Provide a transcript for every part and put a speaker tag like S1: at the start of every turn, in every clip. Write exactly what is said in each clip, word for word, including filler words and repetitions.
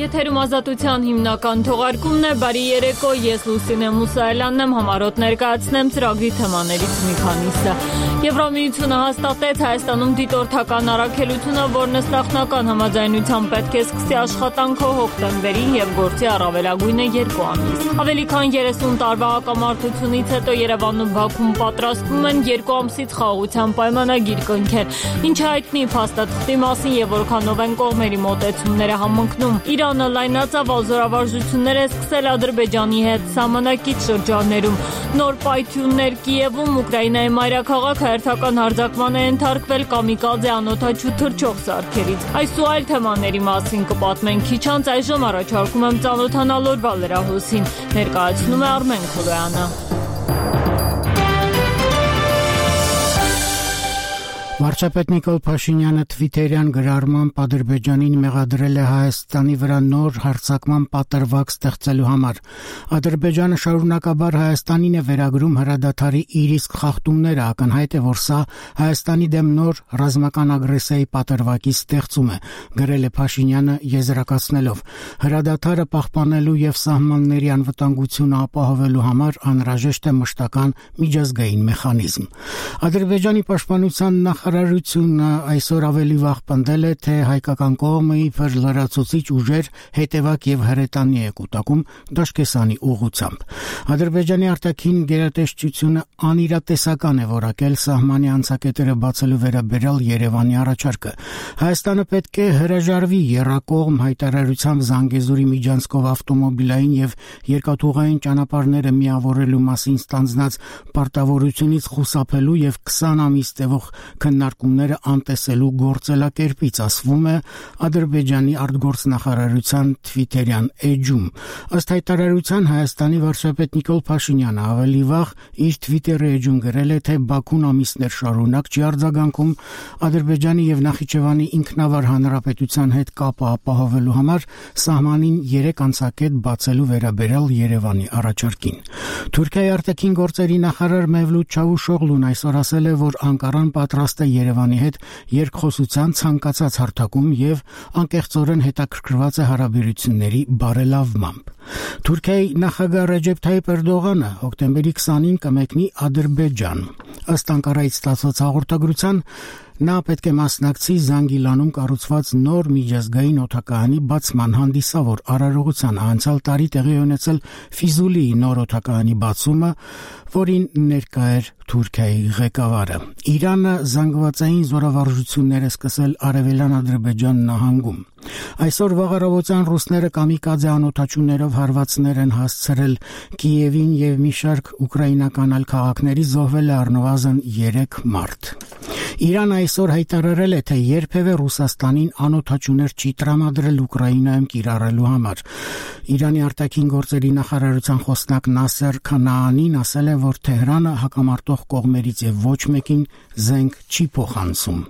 S1: Եթերում ազատության հիմնական թողարկումն է, բարի երեկո, ես Լուսինե Մուսայելյանն եմ, համառոտ ներկայացնեմ ծրագրի թեմաներից մի քանիսը։ Եվրամիությունը հաստատեց Հայաստանում դիտորդական առաքելությունը, որն ըստ նախնական համաձայնության պետք է սկսի աշխատանքով հոկտեմբերին եւ գործի առավելագույնը երկու ամիս։ Ավելի քան երեսուն տարվա հակամարտությունից հետո Երևանում ու Բաքվում պատրաստվում են երկու ամսից խաղաղության պայմանագիր կնքել, ինչը հայտնի փաստաթղթի մասին եւ որքանով են կողմերի մոտեցումները համընկնում։ Իրանը լայնածավալ զորավարժություններ է սկսել Ադրբեջանի հետ սահմանակից շրջաններում։ Նոր պայթյուններ Կիևում, Ուկրաինայի մայրաքաղաքը հերթական հարձակման է ենթարկվել կամիկադզե անօդաչու թռչող սարքերից։ Այս ու այլ թեմաների մասին կպատմենք քիչ անց, այժմ առաջարկում եմ ծանոթանալ օրվա լրահոսին։ Ներկայացնում է Արմեն Քոլոյանը։
S2: Վարչապետ Նիկոլ Փաշինյանը թվիթերյան գրառմամբ Ադրբեջանին մեղադրել է Հայաստանի վրա նոր հարձակման պատրվակ ստեղծելու համար։ Ադրբեջանը շարունակաբար Հայաստանին է վերագրում հրադադարի իր իսկ խախտումները, ակնհայտ է, որ սա Հայաստանի դեմ նոր ռազմական ագրեսիայի պատրվակի ստեղծում է, գրել է Փաշինյանը եզրակացնելով. հրադադարը պահպանելու եւ սահմանների անվտանգությունը ապահովելու համար անհրաժեշտ է մշտական միջազգային մեխանիզմ։ Ադրբեջանի պաշտպանության նախարարությունը այսօր ավելի վաղ պնդել է, թե հայկական կողմը իբր լրացուցիչ ուժեր հետևակ եւ հրետանի է կուտակում Դաշկեսանի ուղղությամբ։ Ադրբեջանի արտաքին գերատեսչությունը անիրատեսական է որակել սահմանի անցակետերը բացելու վերաբերյալ Երևանի առաջարկը։ Հայաստանը պետք է հրաժարվի եռակողմ հայտարարությամբ Զանգեզուրի միջանցքով ավտոմոբիլային եւ երկաթուղային ճանապարհները միավորելու մասին ստանձնած պարտավորությունից խուսափելու եւ քսան ամիս տևող քննարկումները անտեսելու գործելակերպից, ասվում է Ադրբեջանի արտգործնախարարության թվիթերյան էջում։ Ըստ հայտարարության Հայաստանի վարչապետ Նիկոլ Փաշինյանը ավելի վաղ իր թվիթերի էջում գրել է, թե Բաքուն ամիսներ շարունակ չի արձագանքում Ադրբեջանի եւ Նախիջևանի ինքնավար հանրապետության հետ կապը ապահովելու համար սահմանին երեք անցակետ բացելու վերաբերյալ Երևանի առաջարկին։ Թուրքիայի արտաքին գործերի նախարար Մևլութ Չավուշօղլուն այսօր ասել է, որ Անկարան պատրաստ է Երևանի հետ երկխոսության ցանկացած հարթակում եւ անկեղծորեն հետաքրքրված է հարաբերությունների բարելավմամբ։ Թուրքիայի նախագահ Ռեջեփ Թայիփ Էրդողանը հոկտեմբերի քսանին կմեկնի Ադրբեջան։ Ըստ Անկարայից ստացված հաղորդագրության, նա պետք է մասնակցի Զանգիլանում կառուցված նոր միջազգային օդակայանի բացման հանդիսավոր արարողությանը։ Անցյալ տարի տեղի ունեցել Ֆիզուլիի նոր օդակայանի բացումը, որին ներկա էր Թուրքիայի ղեկավարը։ Իրանը զանգվածային զորավարժություններ է սկսել Արևելյան Ադրբեջան նահանգում։ Այսօր վաղ առավոտյան ռուսները կամիկադզե անօդաչուներով հարվածներ են հասցրել Կիևին եւ մի շարք ուկրաինական այլ քաղաքների, զոհվել է առնվազն երեք մարդ։ Իրանը այսօր հայտարարել է, թե երբևէ Ռուսաստանին անօդաչուներ չի տրամադրել Ուկրաինայում կիրառելու համար։ Իրանի արտաքին գործերի նախարարության խոսնակ Նասեր Քանաանին ասել է, որ Թեհրանը հակամարտող կողմերից եւ ոչ մեկին զենք չի փոխանցում։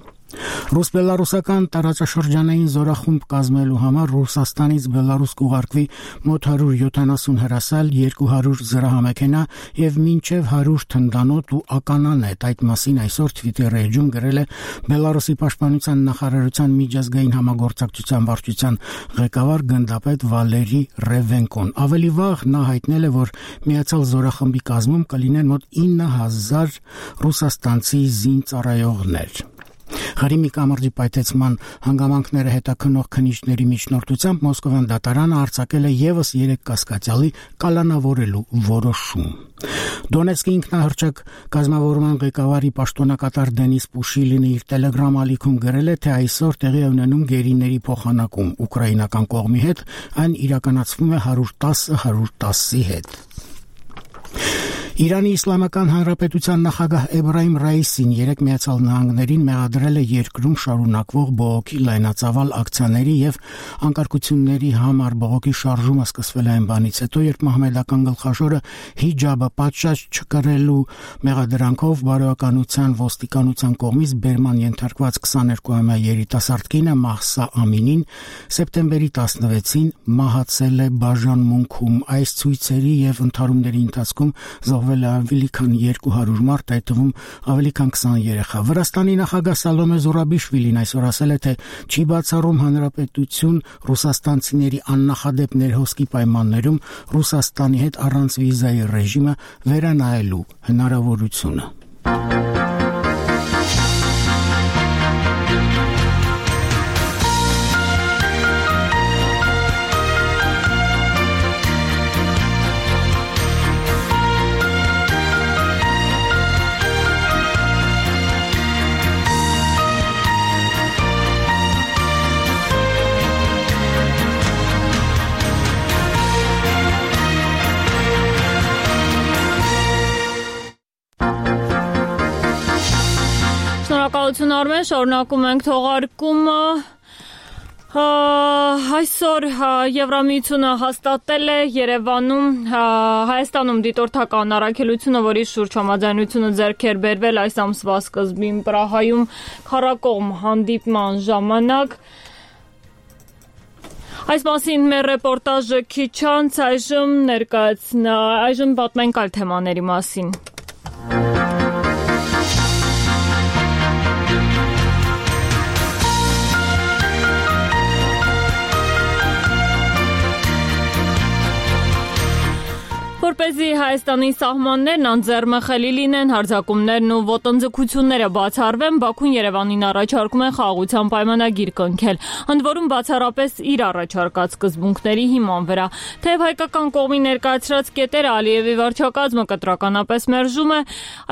S2: Ռուս-բելարուսական տարածաշրջանային զորախումբ կազմելու համար Ռուսաստանից Բելարուս կուղարկվի մոտ հարյուր յոթանասուն հրասալ, երկու հարյուր զրահամեքենա եւ մինչեւ հարյուր թնդանոթ ու ականանետ։ Այդ մասին այսօր Twitter-ի էջում գրել է Բելարուսի պաշտպանության նախարարության միջազգային համագործակցության վարչության ղեկավար գնդապետ Վալերի Ռևենկոն։ Ավելի վաղ նա հայտնել է, որ միացյալ զորախմբի կազմում կլինեն մոտ ինը հազար ռուսաստանցի զինծառայողներ։ Ղարիմի կամրջի պայթեցման հանգամանքները հետաքննող քննիչների միջնորդությամբ Մոսկովյան դատարանը արձակել է եւս երեք կասկածյալի կալանավորելու որոշում։ Դոնեցկի ինքնահռչակ կազմավորման ղեկավարի պաշտոնակատար Դենիս Պուշիլինը իր Telegram ալիքում գրել է, թե այսօր տեղի է ունենում գերիների փոխանակում ուկրաինական կողմի հետ, այն իրականացվում է հարյուր տասը հարյուր տասի հետ։ Իրանի Իսլամական Հանրապետության նախագահ Էբրահիմ Ռայիսին երեք Միացյալ Նահանգներին մեղադրել է երկրում շարունակվող բողոքի լայնածավալ ակցիաների եւ անկարգությունների համար։ Բողոքի շարժումը սկսվել է այն բանից հետո, երբ մահմեդական գլխաշորը հիջաբը պատշաճ չկրելու մեղադրանքով բարոյականության ոստիկանության կողմից բերման ենթարկված քսաներկուամյա երիտասարդ կինը Մահսա Ամինին սեպտեմբերի տասնվեցին մահացել է բաժանմունքում։ Այս ցույցերի եւ ընդհարումների ընթացքում զբաղվել է ավելի քան երկու հարյուր մարդ, այդ թվում ավելի քան քսան երեխա։ Վրաստանի նախագահ Սալոմե Զուրաբիշվիլին այսօր ասել է, թե չի բացառում հանրապետություն ռուսաստանցիների աննախադեպ ներհոսքի պայմաններում Ռուսաստանի հետ առանց վիզայի ռեժիմը վերանայելու հնարավորությունը։
S1: Շնորհակալություն Արմեն, շարունակում ենք թողարկումը։ Այսօր Եվրամիությունը հաստատել է Երևանում Հայաստանում դիտորդական առաքելությունը, որի շուրջ համաձայնությունը ձեռք էր բերվել այս ամսվա սկզբին Պրահայում քառակողմ հանդիպման ժամանակ։ Այս մասին մեր ռեպորտաժը քիչ անց այժմ ներկայացնա, այժմ պատմենք այլ թեմաների մասին։ Որպեսզի Հայաստանի սահմաններն անձեռմխելի լինեն, հարձակումներն ու ոտնձգությունները բացառվեն, Բաքուն Երևանին առաջարկում է խաղաղության պայմանագիր կնքել, ընդ որում բացառապես իր առաջարկած սկզբունքների հիման վրա։ Թեև հայկական կողմի ներկայացրած կետերը Ալիևի վարչակազմը կտրականապես մերժում է,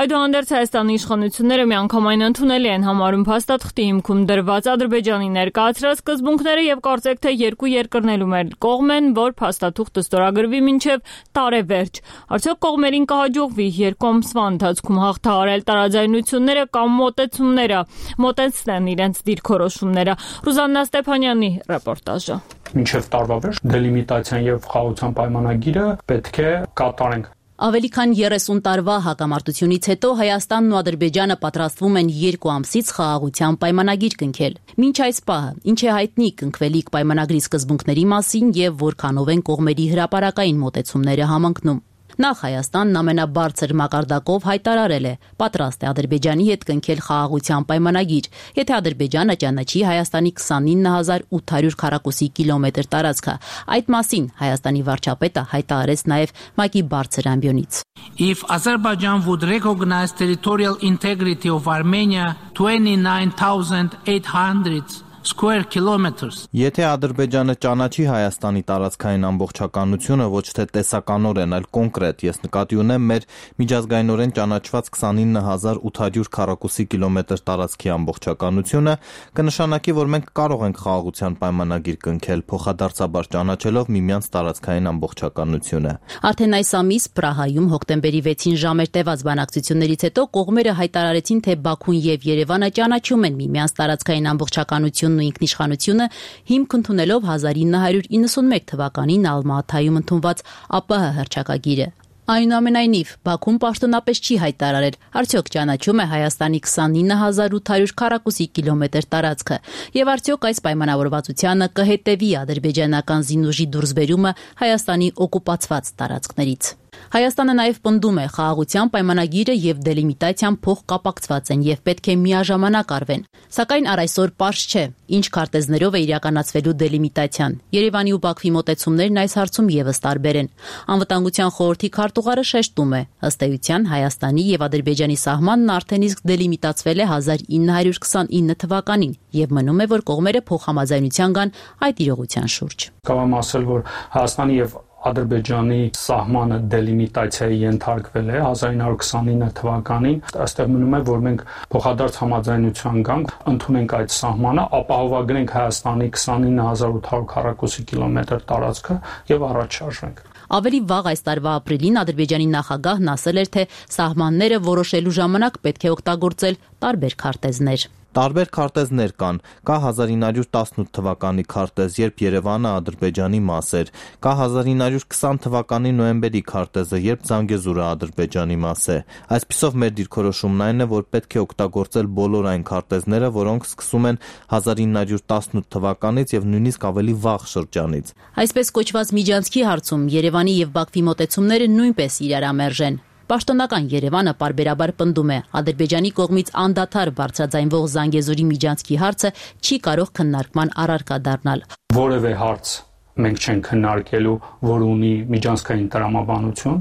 S1: այդուհանդերձ Հայաստանի իշխանությունները միանգամայն ընդունելի են համարում փաստաթղթի հիմքում դրված Ադրբեջանի ներկայացրած սկզբունքները եւ կարծեք թե երկու երկրներում էլ կողմ են, որ փաստաթուղթը ստորագրվի մինչեւ տարեվերջ։ Արդյոք կողմերին կհաջողվի երկու ամսվա ընթացքում հաղթահարել տարաձայնությունները կամ մոտեցումները, մոտեցնեն իրենց դիրքորոշումները։ Ռուզաննա Ստեփանյանի ռեպորտաժը։
S3: Մինչև տարվա վերջ դելիմիտացիան եւ խաղաղության պայմանագիրը պետք է կատարենք։
S4: Ավելի քան երեսուն տարվա հակամարտությունից հետո Հայաստանն ու Ադրբեջանը պատրաստվում են երկու ամսից խաղաղության պայմանագիր կնքել։ Մինչ այս պահը ինչ է հայտնի կնքվելիք պայմանագրի սկզբունքների մասին եւ որքանով են կողմերի հրապարակային մոտեցումները համընկնում։ Նախ Հայաստանն ամենաբարձր մակարդակով հայտարարել է, պատրաստ է Ադրբեջանի հետ կնքել խաղաղության պայմանագիր, եթե Ադրբեջանը ճանաչի Հայաստանի քսանինը հազար ութ հարյուր քառակուսի կիլոմետր տարածքը։ Այդ մասին Հայաստանի վարչապետը հայտարարեց նաև ՄԱԿ-ի բարձր ամբիոնից։
S5: If Azerbaijan would recognize territorial integrity of Armenia twenty-nine thousand eight hundred square kilometers.
S6: Եթե Ադրբեջանը ճանաչի Հայաստանի տարածքային ամբողջականությունը ոչ թե տեսականորեն, այլ կոնկրետ, ես նկատի ունեմ մեր միջազգայինորեն ճանաչված քսանինը հազար ութ հարյուր քառակուսի կիլոմետր տարածքի ամբողջականությունը, կնշանակի, որ մենք կարող ենք խաղաղության պայմանագիր կնքել, փոխադարձաբար ճանաչելով միմյանց տարածքային ամբողջականությունը։
S4: Արդեն այս ամիս Պրահայում հոկտեմբերի վեցին ժամեր տևած բանակցություններից հետո կողմերը հայտարարեցին, թե Բաքուն եւ Երևանը ճանաչում են միմյանց տարածքային ամբողջականությունը ու ինքնիշխանությունը հիմք ընդունելով հազար ինը հարյուր իննսունմեկ թվականին Ալմատայում ընդունված ԱՊՀ հռչակագիրը։ Այնուամենայնիվ, Բաքուն պաշտոնապես չի հայտարարել, արդյոք ճանաչում է Հայաստանի քսանինը հազար ութ հարյուր քառակուսի կիլոմետր տարածքը, եւ արդյոք այս պայմանավորվածությանը կհետևի ադրբեջանական զինուժի դուրսբերումը Հայաստանի օկուպացված տարածքներից։ Հայաստանը նաև պնդում է խաղաղության պայմանագիրը եւ դելիմիտացիան փոխկապակցված են եւ պետք է միաժամանակ արվեն։ Սակայն առ այսօր պարզ չէ, ինչ քարտեզներով է իրականացվելու դելիմիտացիան։ Երևանի ու Բաքվի մոտեցումներն այս հարցում եւս տարբեր են։ Անվտանգության խորհրդի քարտուղարը շեշտում է, ըստ էության Հայաստանի եւ Ադրբեջանի սահմանն արդեն իսկ դելիմիտացվել է հազար ինը հարյուր քսանինը թվականին եւ մնում է, որ կողմերը փոխհամաձայնության գան այդ իրողության շուրջ։
S3: Կարող ասել, որ Հայաստանի եւ Ադրբեջանի սահմանը դելիմիտացիայի ենթարկվել է հազար ինը հարյուր քսանինը թվականին, այստեղ մնում է, որ մենք փոխադարձ համաձայնության գանք, ընդունենք այդ սահմանը, ապահովագրենք Հայաստանի քսանինը հազար ութ հարյուր քառակուսի կիլոմետր տարածքը եւ առաջ շարժենք։
S4: Ավելի վաղ այս տարվա ապրիլին Ադրբեջանի նախագահն ասել էր, թե սահմանները որոշելու ժամանակ պետք է օգտագործել տարբեր քարտեզներ։
S6: Տարբեր քարտեզներ կան, կա հազար ինը հարյուր տասնութ թվականի քարտեզ, երբ Երևանը Ադրբեջանի մաս էր, կա հազար ինը հարյուր քսան թվականի նոյեմբերի քարտեզը, երբ Զանգեզուրը Ադրբեջանի մաս է։ Այսպիսով մեր դիրքորոշումն այն է, որ պետք է օգտագործել բոլոր այն քարտեզները, որոնք սկսում են հազար ինը հարյուր տասնութ թվականից եւ նույնիսկ ավելի վաղ շրջանից։
S4: Այսպես կոչված միջանցքի հարցում Երևանի եւ Բաքվի մոտեցումները նույնպես իրարամերժ են։ Պաշտոնական Երևանը պարբերաբար պնդում է, Ադրբեջանի կողմից անդադար բարձրաձայնվող Զանգեզուրի միջանցքի հարցը չի կարող քննարկման առարկա դառնալ։
S3: Որևէ հարց մենք չենք քննարկելու, որ ունի միջանցքային տրամաբանություն,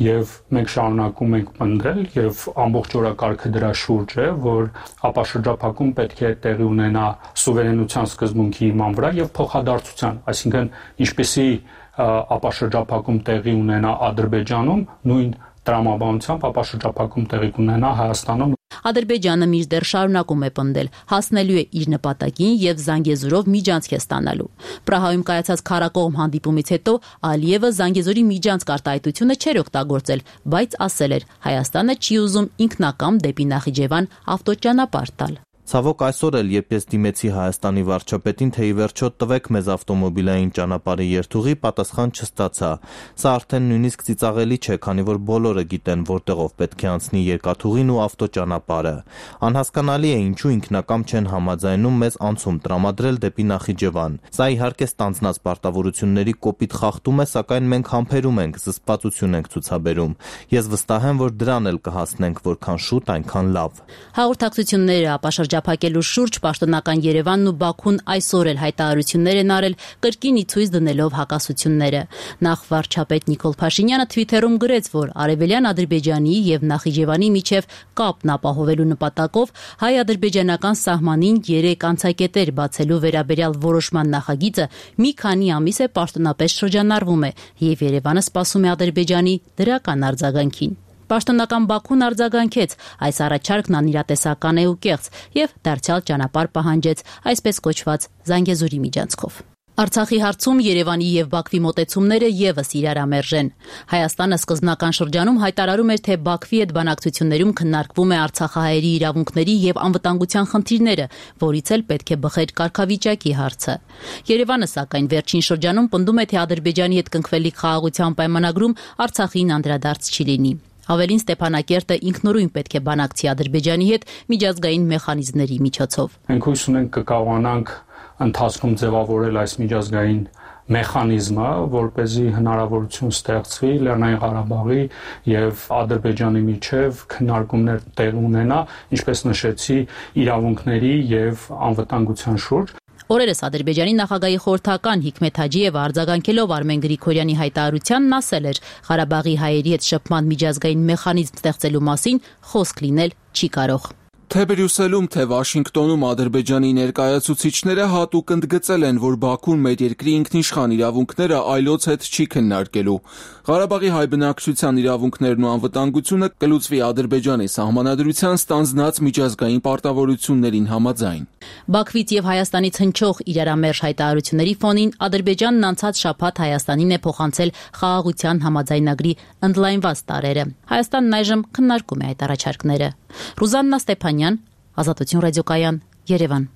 S3: եւ մենք շարունակում ենք պնդել եւ ամբողջ օրակարգը դրա շուրջ է, որ ապաշրջափակում պետք է տեղի ունենա սուվերենության սկզբունքի հիման վրա եւ փոխադարձության, այսինքն ինչպեսի ապաշրջափակում տեղի ունենա Ադրբեջանում, նույն տրամաբանությամբ ապաշրջափակում տեղի կունենա Հայաստանում։
S4: Ադրբեջանը մինչդեռ շարունակում է պնդել, հասնելու է իր նպատակին եւ Զանգեզուրով միջանցք է ստանալու։ Պրահայում կայացած քարակողմ հանդիպումից հետո Ալիևը Զանգեզուրի միջանցք արտահայտությունը չէր օգտագործել, բայց ասել էր, Հայաստանը չի ուզում ինքնակամ դեպի Նախիջևան ավտոճանապարհ տալ։
S6: Ցավոք այսօր էլ, երբ ես դիմեցի Հայաստանի վարչապետին, թե ի վերջո տվեք մեզ ավտոմոբիլային ճանապարհի երթուղի, պատասխան չստացա։ Սա արդեն նույնիսկ ծիծաղելի չէ, քանի որ բոլորը գիտեն, որտեղով պետք է անցնի երկաթուղին ու ավտոճանապարհը։ Անհասկանալի է, ինչու ինքնակամ չեն համաձայնում մեզ անցում տրամադրել դեպի Նախիջևան։ Սա իհարկե ստանձնած պարտավորությունների կոպիտ խախտում է, սակայն մենք համբերում ենք, զսպվածություն ենք ցուցաբերում։ Ես վստահ եմ, որ դրան էլ կհասնենք, որքան շուտ, այնքան լավ։
S4: Հաղորդակցությունները ապաշրջափակելու շուրջ պաշտոնական Երևանն ու Բաքուն այսօր էլ հայտարարություններ են արել, կրկին ի ցույց դնելով հակասությունները։ Նախ վարչապետ Նիկոլ Փաշինյանը Twitter-ում գրեց, որ արևելյան Ադրբեջանի եւ Նախիջևանի միջև կապն ապահովելու նպատակով հայ-ադրբեջանական սահմանին երեք անցակետեր բացելու վերաբերյալ որոշման նախագիծը մի քանի ամիս է պաշտոնապես շրջանառվում է, եւ Երևանը սպասում է Ադրբեջանի դրական արձագանքին։ Պաշտոնական Բաքուն արձագանքեց, այս առաջարկն անիրատեսական է ու կեղծ եւ դարձյալ ճանապարհ պահանջեց այսպես կոչված Զանգեզուրի միջանցքով։ Արցախի հարցում Երևանի եւ Բաքվի մոտեցումները եւս իրարամերժ են։ Հայաստանը սկզբնական շրջանում հայտարարում էր, թե Բաքվի հետ բանակցություններում քննարկվում է արցախահայերի իրավունքների եւ անվտանգության խնդիրները, որից էլ պետք է բխեր կարգավիճակի հարցը։ Երևանը սակայն վերջին շրջանում պնդում է, թե Ադրբեջանի հետ կնքվելիք խաղաղության պայմանագրում Արցախին անդրադարձ չի լինի։ Ավելին Ստեփանակերտը ինքնուրույն պետք է բանակցի Ադրբեջանի հետ միջազգային մեխանիզմների միջոցով։
S3: Մենք հույս ունենք կկարողանանք ընթացքում ձևավորել այս միջազգային մեխանիզմը, որպեսզի հնարավորություն ստեղծվի Լեռնային Ղարաբաղի եւ Ադրբեջանի միջև քննարկումներ տեղ ունենա, ինչպես նշեցի, իրավունքների եւ անվտանգության շուրջ։
S4: Օրերս Ադրբեջանի նախագահի խորհրդական Հիկմեթ Հաջիևը արձագանքելով Արմեն Գրիգորյանի հայտարարությանն ասել էր, Ղարաբաղի հայերի հետ շփման միջազգային մեխանիզմ ստեղծելու մասին խոսք լինել չի կարող։
S7: Թե Բրյուսելում, թե Վաշինգտոնում Ադրբեջանի ներկայացուցիչները հատուկ ընդգծել են, որ Բաքուն մեր երկրի ինքնիշխան իրավունքները այլոց հետ չի քննարկելու։ Ղարաբաղի հայ բնակչության իրավունքներն ու անվտանգությունը կլուծվի Ադրբեջանի սահմանադրության ստանձնած միջազգային պարտավորություններին համաձայն։
S4: Բաքվից եւ Հայաստանից հնչող իրարամերժ հայտարարությունների ֆոնին Ադրբեջանն անցած շաբաթ Հայաստանին է փոխանցել խաղաղության համաձայնագրի ընդլայնված տարրերը։ Հայաստանն այժմ քննարկում է այդ առաջարկները։ Ռուզաննա Ստեփանյան, Ազատություն ռադիոկայան, Երևան։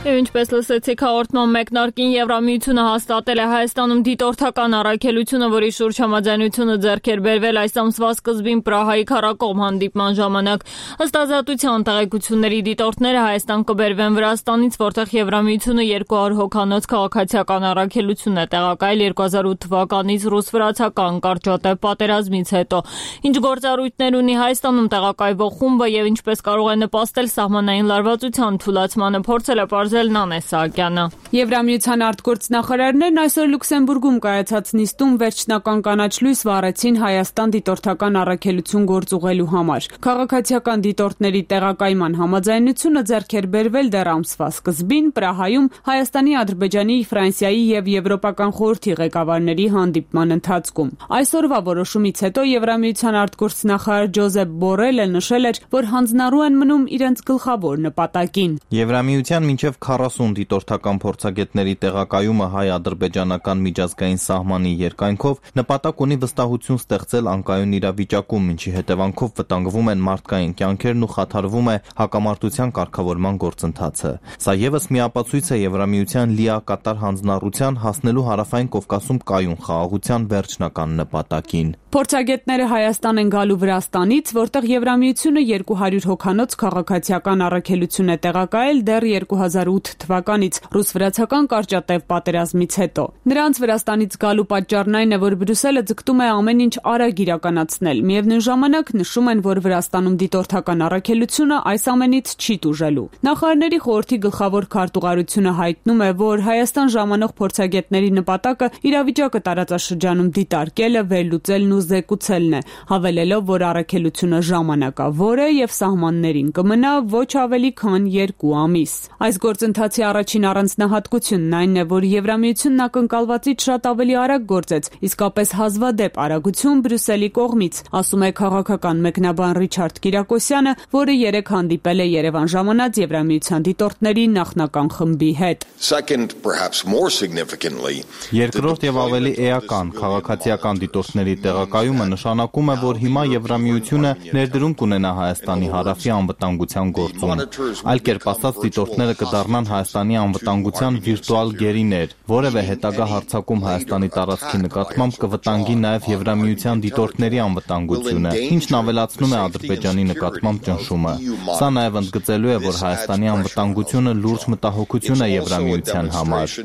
S1: Եվ ինչպես լսեցիք հաղորդման մեկնարկին, Եվրամիությունը հաստատել է Հայաստանում դիտորդական առաքելությունը, որի շուրջ համաձայնությունը ձեռք էր բերվել այս ամսվա սկզբին Պրահայի քարակողմ հանդիպման ժամանակ։ Ըստ ազատության տեղեկությունների դիտորդները Հայաստան կբերվեն Վրաստանից, որտեղ Եվրամիությունը երկու հարյուր հոգանոց քաղաքացիական առաքելություն է տեղակայել երկու հազար ութ թվականից ռուս-վրացական կարճատև պատերազմից հետո։ Ինչ գործառույթներ ունի Հայաստանում տեղակայվող խումբը եւ ինչպես կարող է նպաստել սահմանային լարվածության թուլացմանը, փորձել է պարզել Նանե Սահակյանը։
S8: Եվրամիության արտգործնախարարներն այսօր Լյուքսեմբուրգում կայացած նիստում վերջնական կանաչ լույս վառեցին Հայաստան դիտորդական առաքելություն գործուղելու համար։ Քաղաքացիական դիտորդների տեղակայման համաձայնությունը ձեռք էր բերվել դեռ ամսվա սկզբին Պրահայում Հայաստանի, Ադրբեջանի, Ֆրանսիայի եւ Եվրոպական խորհրդի ղեկավարների հանդիպման ընթացքում։ Այսօրվա որոշումից հետո Եվրամիության արտգործնախարար Ջոզեփ Բորելը նշել էր, որ հանձնառու են մնում իրենց գլխավոր նպատակին։
S6: Եվրամիության մինչև քառասուն դիտորդական փորձագետների տեղակայումը հայ-ադրբեջանական միջազգային սահմանի երկայնքով նպատակ ունի վստահություն ստեղծել անկայուն իրավիճակում, ինչի հետևանքով վտանգվում են մարդկային կյանքերն ու խաթարվում է հակամարտության կարգավորման գործընթացը։ Սա ևս մի ապացույց է Եվրամիության լիակատար հանձնառության հասնելու Հարավային Կովկասում կայուն խաղաղության վերջնական նպատակին։
S8: Փորձագետները Հայաստան են գալու Վրաստանից, որտեղ Եվրամիությունը երկու հարյուր հոգանոց քաղաքացիական առաքելություն է տեղակայել դեռ երկու հազար ութ թվականից ռուս-վրացական կարճատև պատերազմից հետո։ Նրանց Վրաստանից գալու պատճառն այն է, որ Բրյուսելը ձգտում է ամեն ինչ արագ իրականացնել։ Միևնույն ժամանակ նշում են, որ Վրաստանում դիտորդական առաքելությունը այս ամենից չի տուժելու։ Նախարարների խորհրդի գլխավոր քարտուղարությունը հայտնում է, որ Հայաստան ժամանող փորձագետների նպատակը իրավիճակը տարածաշրջանում դիտարկելը, վերլուծելն ու զեկուցելն է, հավելելով, որ առաքելությունը ժամանակավոր է եւ սահմաններին կմնա ոչ ավելի քան երկու ամիս։ Այս գործընթացի առաջին առանձնահատկությունն այն է, որ Եվրամիությունն ակնկալվածից շատ ավելի արագ գործեց, իսկապես հազվադեպ արագություն Բրյուսելի կողմից, ասում է քաղաքական մեկնաբան Ռիչարդ Կիրակոսյանը, որը երեկ հանդիպել է Երևան ժամանած Եվրամիության դիտորդների նախնական խմբի հետ։
S6: Երկրորդ եւ ավելի էական քաղաքացիական դիտորդների տեղակայումը նշանակում է, որ հիմա Եվրամիությունը ներդրում կունենա Հայաստանի հարավի անվտանգության գործում։ Այլ կերպ ասած, դիտորդները կդառնան Հայաստանի անվտանգության վիրտուալ գերիներ։ Որևէ հետագա հարձակում Հայաստանի տարածքի նկատմամբ կվտանգի նաեւ Եվրամիության դիտորդների անվտանգությունը, ինչն ավելացնում է Ադրբեջանի նկատմամբ ճնշումը։ Սա նաեւ ընդգծելու է, որ Հայաստանի անվտանգությունը լուրջ մտահոգություն է Եվրամիության համար։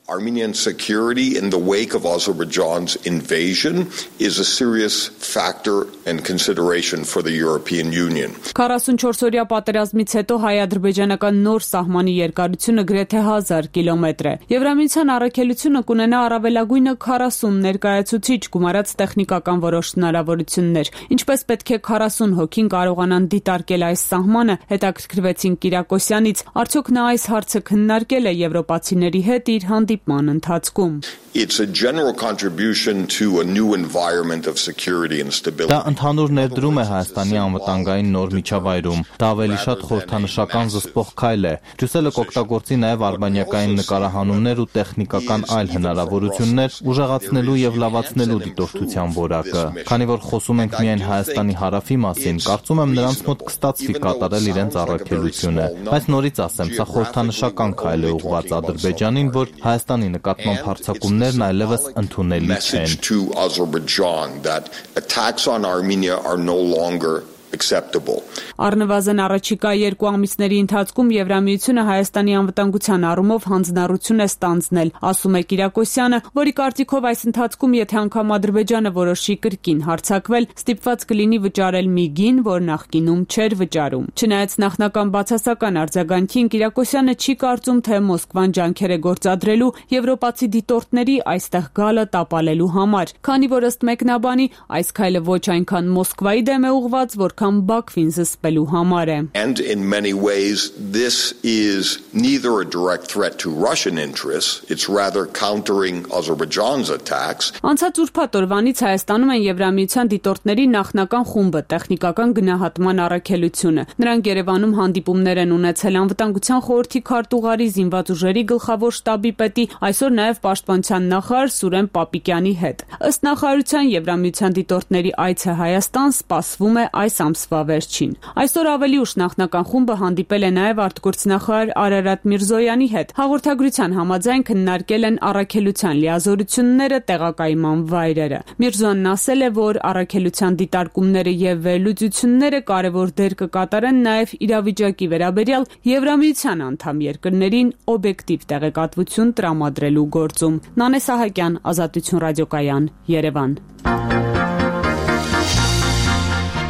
S9: Armenian security in the wake of Azerbaijan's invasion is a serious factor and consideration for the European Union.
S8: քառասունչորսօրյա պատերազմից հետո հայ-ադրբեջանական նոր սահմանի երկարությունը գրեթե հազար կիլոմետր է։ Եվրամիության առաքելությունը կունենա առավելագույնը քառասուն ներկայացուցիչ, գումարած տեխնիկական որոշ հնարավորություններ։ Ինչպես պետք է քառասուն հոգին կարողանան դիտարկել այս սահմանը, հետաքրքրվեցին Կիրակոսյանից, արդյոք նա այս հարցը քննարկել է եվրոպացիների հետ իր հանդիպման ընթացքում։
S9: It's a general contribution to a new environment of security and stability.
S6: Դա ընդհանուր ներդրում է Հայաստանի անվտանգային նոր միջավայրում։ Դա ավելի շատ խորհրդանշական զսպող քայլ է։ Բրյուսելը կօգտագործի նաև արբանյակային նկարահանումներ ու տեխնիկական այլ հնարավորություններ, ուժեղացնելու եւ լավացնելու դիտորդության որակը։ Քանի որ խոսում ենք միայն Հայաստանի հարավի մասին, կարծում եմ նրանց մոտ կստացվի կատարել իրենց առաքելությունը։ Բայց նորից ասեմ, սա խորհրդանշական քայլ է ուղղված Ադրբեջանին, որ Հայաստանի նկատմամբ հարձակումներ այլևս ընդունելի չեն։
S9: To Azerbaijan that attacks on Armenia are no longer acceptable.
S8: Առնվազն առաջիկա երկու ամիսների ընթացքում Եվրամիությունը Հայաստանի անվտանգության առումով հանձնառություն է ստանձնել, ասում է Կիրակոսյանը, որի կարծիքով այս ընթացքում եթե անգամ Ադրբեջանը որոշի կրկին հարձակվել, ստիպված կլինի վճարել միգին, որ նախկինում չէր վճարում։ Չնայած նախնական բացասական արձագանքին, Կիրակոսյանը չի կարծում, թե Մոսկվան ջանքեր է գործադրելու եվրոպացի դիտորդների այստեղ գալը տապալելու համար, քանի որ ըստ մեկնաբանի այս քայլը ոչ այնքան Մոսկվայի դեմ է ուղղված, որքան Բաքվին զսպելու համար է։
S9: And in many ways this is neither a direct threat to Russian interests, it's rather countering Azerbaijan's attacks.
S8: Անցած ուրբաթ օրվանից Հայաստանում են Եվրամիության դիտորդների նախնական խումբը, տեխնիկական գնահատման առաքելությունը։ Նրանք Երևանում հանդիպումներ են ունեցել անվտանգության խորհրդի քարտուղարի, զինված ուժերի գլխավոր շտաբի պետի, այսօր նաև պաշտպանության նախարար Սուրեն Պապիկյանի հետ։ Ըստ նախարարության Եվրամիության դիտորդների այցը Հայաստան սպասվում է այս ամսվա վերջին։ Այսօր ավելի ուշ նախնական խումբը հանդիպել է նաև արտգործնախարար Արարատ Միրզոյանի հետ։ Հաղորդագրության համաձայն քննարկել են առաքելության լիազորությունները, տեղակայման վայրերը։ Միրզոյանն ասել է, որ առաքելության դիտարկումները եւ վերլուծությունները կարևոր դեր կկատարեն նաև իրավիճակի վերաբերյալ Եվրամիության անդամ երկրներին օբյեկտիվ տեղեկատվություն տրամադրելու գործում։ Նանե Սահակյան, Ազատություն ռադիոկայան, Երևան։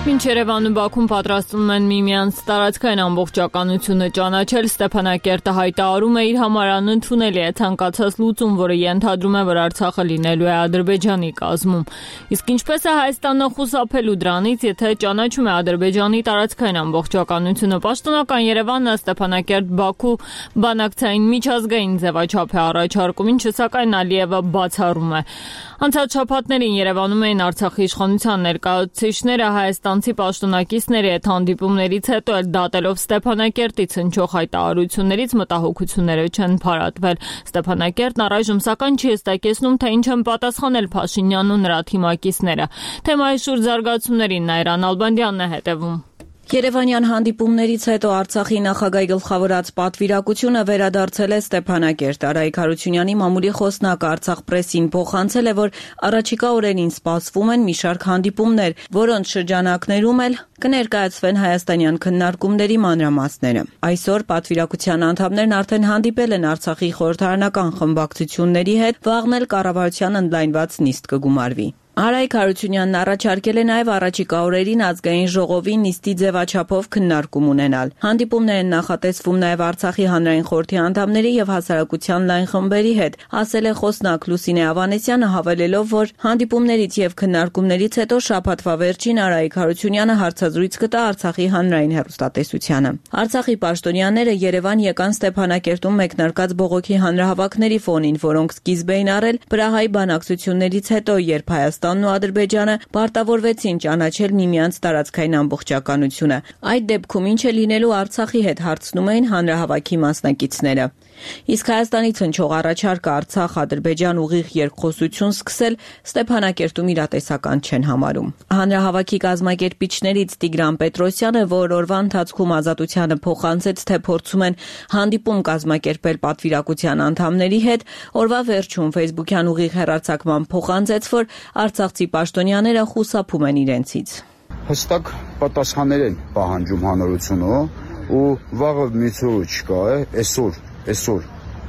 S1: Մինչ Երևանում Բաքուն պատրաստվում են միմյանց տարածքային ամբողջականությունը ճանաչել, Ստեփանակերտը հայտարարում է իր համար անընդունելի է ցանկացած լուծում, որը ենթադրում է, որ Արցախը լինելու է Ադրբեջանի կազմում։ Իսկ ինչպես է Հայաստանը խուսափելու դրանից, եթե ճանաչում է Ադրբեջանի տարածքային ամբողջականությունը։ Պաշտոնական Երևանը Ստեփանակերտ-Բաքու բանակցային միջազգային ձևաչափ է առաջարկում, ինչը սակայն Ալիևը բացառում է։ Անցած շաբաթներին Երևանում էին Արցախի իշխանության ներկայացուցիչները, Հայաստան հայաստանցի պաշտոնակիցների հետ հանդիպումներից հետո էլ դատելով Ստեփանակերտից հնչող հայտարարություններից մտահոգությունները չեն փարատվել։ Ստեփանակերտն առայժմ սակայն չի հստակեցնում, թե ինչ են պատասխանել Փաշինյանն ու նրա թիմակիցները։ Թեմայի շուրջ զարգացումներին Նաիրա Նալբանդյանն է հետևում։
S10: Երևանյան հանդիպումներից հետո Արցախի նախագահի գլխավորած պատվիրակությունը վերադարձել է Ստեփանակերտ։ Արայիկ Հարությունյանի մամուլի խոսնակը Արցախ պրեսին փոխանցել է, որ առաջիկա օրերին սպասվում են մի շարք հանդիպումներ, որոնց շրջանակներում էլ կներկայացվեն հայաստանյան քննարկումների մանրամասները։ Այսօր պատվիրակության անդամներն արդեն հանդիպել են Արցախի խորհրդարանական խմբակցությունների հետ, վաղն էլ կառավարության ընդլայնված նիստ կգումարվի։ Արայիկ Հարությունյանն առաջարկել է նաև առաջիկա օրերին ազգային ժողովի նիստի ձևաչափով քննարկում ունենալ։ Հանդիպումներ են նախատեսվում նաև Արցախի հանրային խորհրդի անդամների եւ հասարակության լայն խմբերի հետ, ասել է խոսնակ Լուսինե Ավանեսյանը, հավելելով, որ հանդիպումներից եւ քննարկումներից հետո շաբաթվա վերջին Արայիկ Հարությունյանը հարցազրույց կտա Արցախի հանրային հեռուստատեսությանը։ Արցախի պաշտոնյաները Երևան եկան Ստեփանակերտում մեկնարկած բողոքի հանրահավաքների ֆոնին, որոնք սկիզբ էին առել Պրահայի բանակցություններից հետո, երբ Հայաստան Հայաստանն ու Ադրբեջանը պարտավորվեցին ճանաչել միմյանց տարածքային ամբողջականությունը։ Այդ դեպքում ինչ է լինելու Արցախի հետ, հարցնում էին հանրահավաքի մասնակիցները։ Իսկ Հայաստանից հնչող առաջարկը Արցախ-Ադրբեջան ուղիղ երկխոսություն սկսել Ստեփանակերտում իրատեսական չեն համարում։ Հանրահավաքի կազմակերպիչներից Տիգրան Պետրոսյանը, որ օրվա ընթացքում Ազատությանը փոխանցեց, թե փորձում են հանդիպում կազմակերպել պատվիրակության անդամների հետ, օրվա վերջում Facebook-յան ուղիղ հեռարձակման փոխանցեց, որ արցախցի պաշտոնյաները խուսափում են իրենցից։
S11: Հստակ պատասխաններ են պահանջում հանրությունը ու վաղը միցորը չկա է, այսօր Այսօր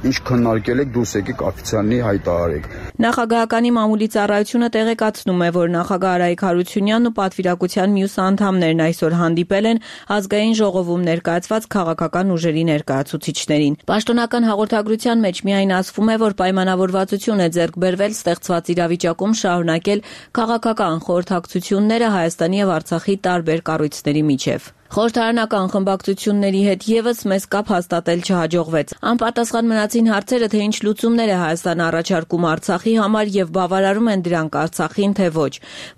S11: ինչ քննարկել եք, դուրս եկեք օֆիցիալնի հայտարարեք։
S10: Նախագահականի մամուլի ծառայությունը տեղեկացնում է, որ նախագահ Արայիկ Հարությունյանն ու պատվիրակության մյուս անդամներն այսօր հանդիպել են ազգային ժողովում ներկայացված քաղաքական ուժերի ներկայացուցիչներին։ Պաշտոնական հաղորդագրության մեջ միայն ասվում է, որ պայմանավորվածություն է ձեռք բերվել ստեղծված իրավիճակում շարունակել քաղաքական խորհրդակցությունները Հայաստանի եւ Արցախի տարբեր կառույցների միջև։ Խորհրդարանական խմբակցությունների հետ եւս մեծ կապ հաստատել չհաջողվեց։ Անպատասխան մնացին հարցերը, թե ինչ լուծումներ է Հայաստանը առաջարկում Արցախի համար եւ բավարարում են դրանք Արցախին, թե ոչ,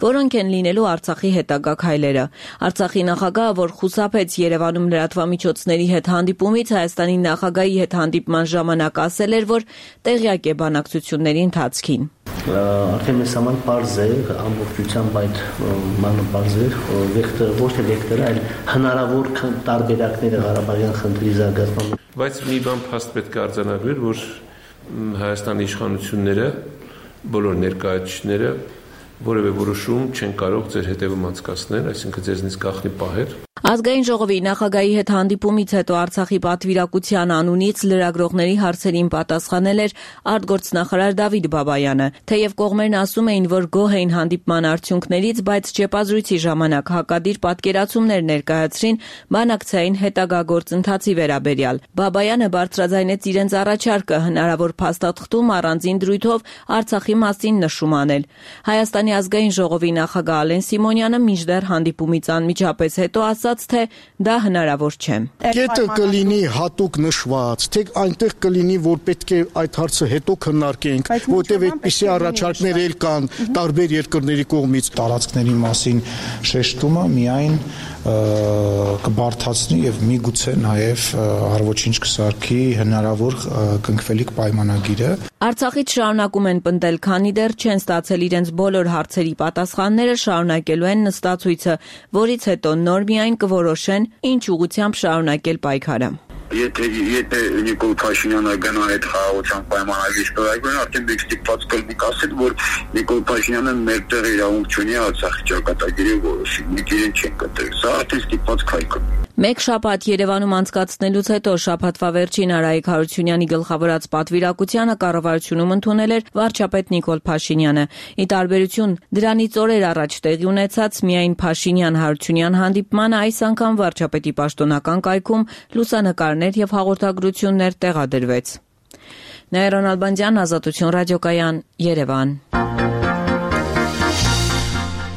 S10: որոնք են լինելու Արցախի հետագա քայլերը։ Արցախի նախագահը, որ խուսափեց Երևանում լրատվամիջոցների հետ հանդիպումից, Հայաստանի նախագահի հետ հանդիպման ժամանակ ասել էր, որ տեղյակ է բանակցությունների ընթացքին։
S12: Արդեն մեզ համար պարզ է ամբողջությամբ այդ մանրապարզ է վեկտորը, ոչ թե վեկտորը, այլ հնարավոր տարբերակները Ղարաբաղյան խնդրի զարգացման։
S13: Բայց մի բան փաստ պետք է արձանագրել, որ Հայաստանի իշխանությունները, բոլոր ներկայացուցիչները որևէ որոշում չեն կարող ձեր հետևում անցկացնել, այսինքն ձեզնից գաղտնի պահեր։
S10: Ազգային ժողովի նախագահի հետ հանդիպումից հետո Արցախի պատվիրակության անունից լրագրողների հարցերին պատասխանել էր արտգործնախարար Դավիթ Բաբայանը։ Թեև կողմերն ասում էին, որ գոհ էին հանդիպման արդյունքներից, բայց ճեպազրույցի ժամանակ հակադիր պատկերացումներ ներկայացրին բանակցային հետագա գործընթացի վերաբերյալ։ Բաբայանը բարձրաձայնեց իրենց առաջարկը հնարավոր փաստաթղթում առանձին դրույթով Արցախի մասին նշում անել։ Հայաստանի ազգային ժողովի նախագահ Ալեն Սիմոնյանը մինչդեռ հանդիպումից անմիջապես հետո ասաց, թե դա հնարավոր չէ։
S14: Կետը կլինի հատուկ նշված, թե այնտեղ կլինի, որ պետք է այդ հարցը հետո քննարկենք, որտեղ այդպիսի առաջարկներ էլ կան տարբեր երկրների կողմից։
S15: Տարածքների մասին շեշտումը միայն կբարթացնի եւ միգուցե նաեւ առողջինչ կսարքի հնարավոր կնքվելիք պայմանագիրը։
S10: Արցախից շարունակում են պնդել, քանի դեռ չեն ստացել իրենց բոլոր հարցերի պատասխանները, շարունակելու են նստացույցը, որից հետո նոր միայն կորոշեն ինչ ուղղությամբ շարունակել պայքարը։
S11: Եթե եթե Նիկոլ Փաշինյանը գնա այդ խաղաղության պայմանագրի ստորագրեն, արդեն դեք ստիպված կլինի ասել, որ Նիկոլ Փաշինյանը մեր տեղ իրավունք չունի Արցախի ճակատագիրը որոշի։ Մենք իրեն չենք կտրել։ Սա արդեն ստիպված քայլ է։
S10: Մեկ շաբաթ Երևանում անցկացնելուց հետո շաբաթվա վերջին Արայիկ Հարությունյանի գլխավորած պատվիրակությանը կառավարությունում ընդունել էր վարչապետ Նիկոլ Փաշինյանը։ Ի տարբերություն դրանից օրեր առաջ տեղի ունեցած միայն Փաշինյան-Հարությունյան հանդիպմանը, այս անգամ վարչապետի պաշտոնական կայքում լուսանկարներ եւ հաղորդագրություններ տեղադրվեց։ Նաիրա Նալբանդյան, Ազատություն ռադիոկայան, Երևան։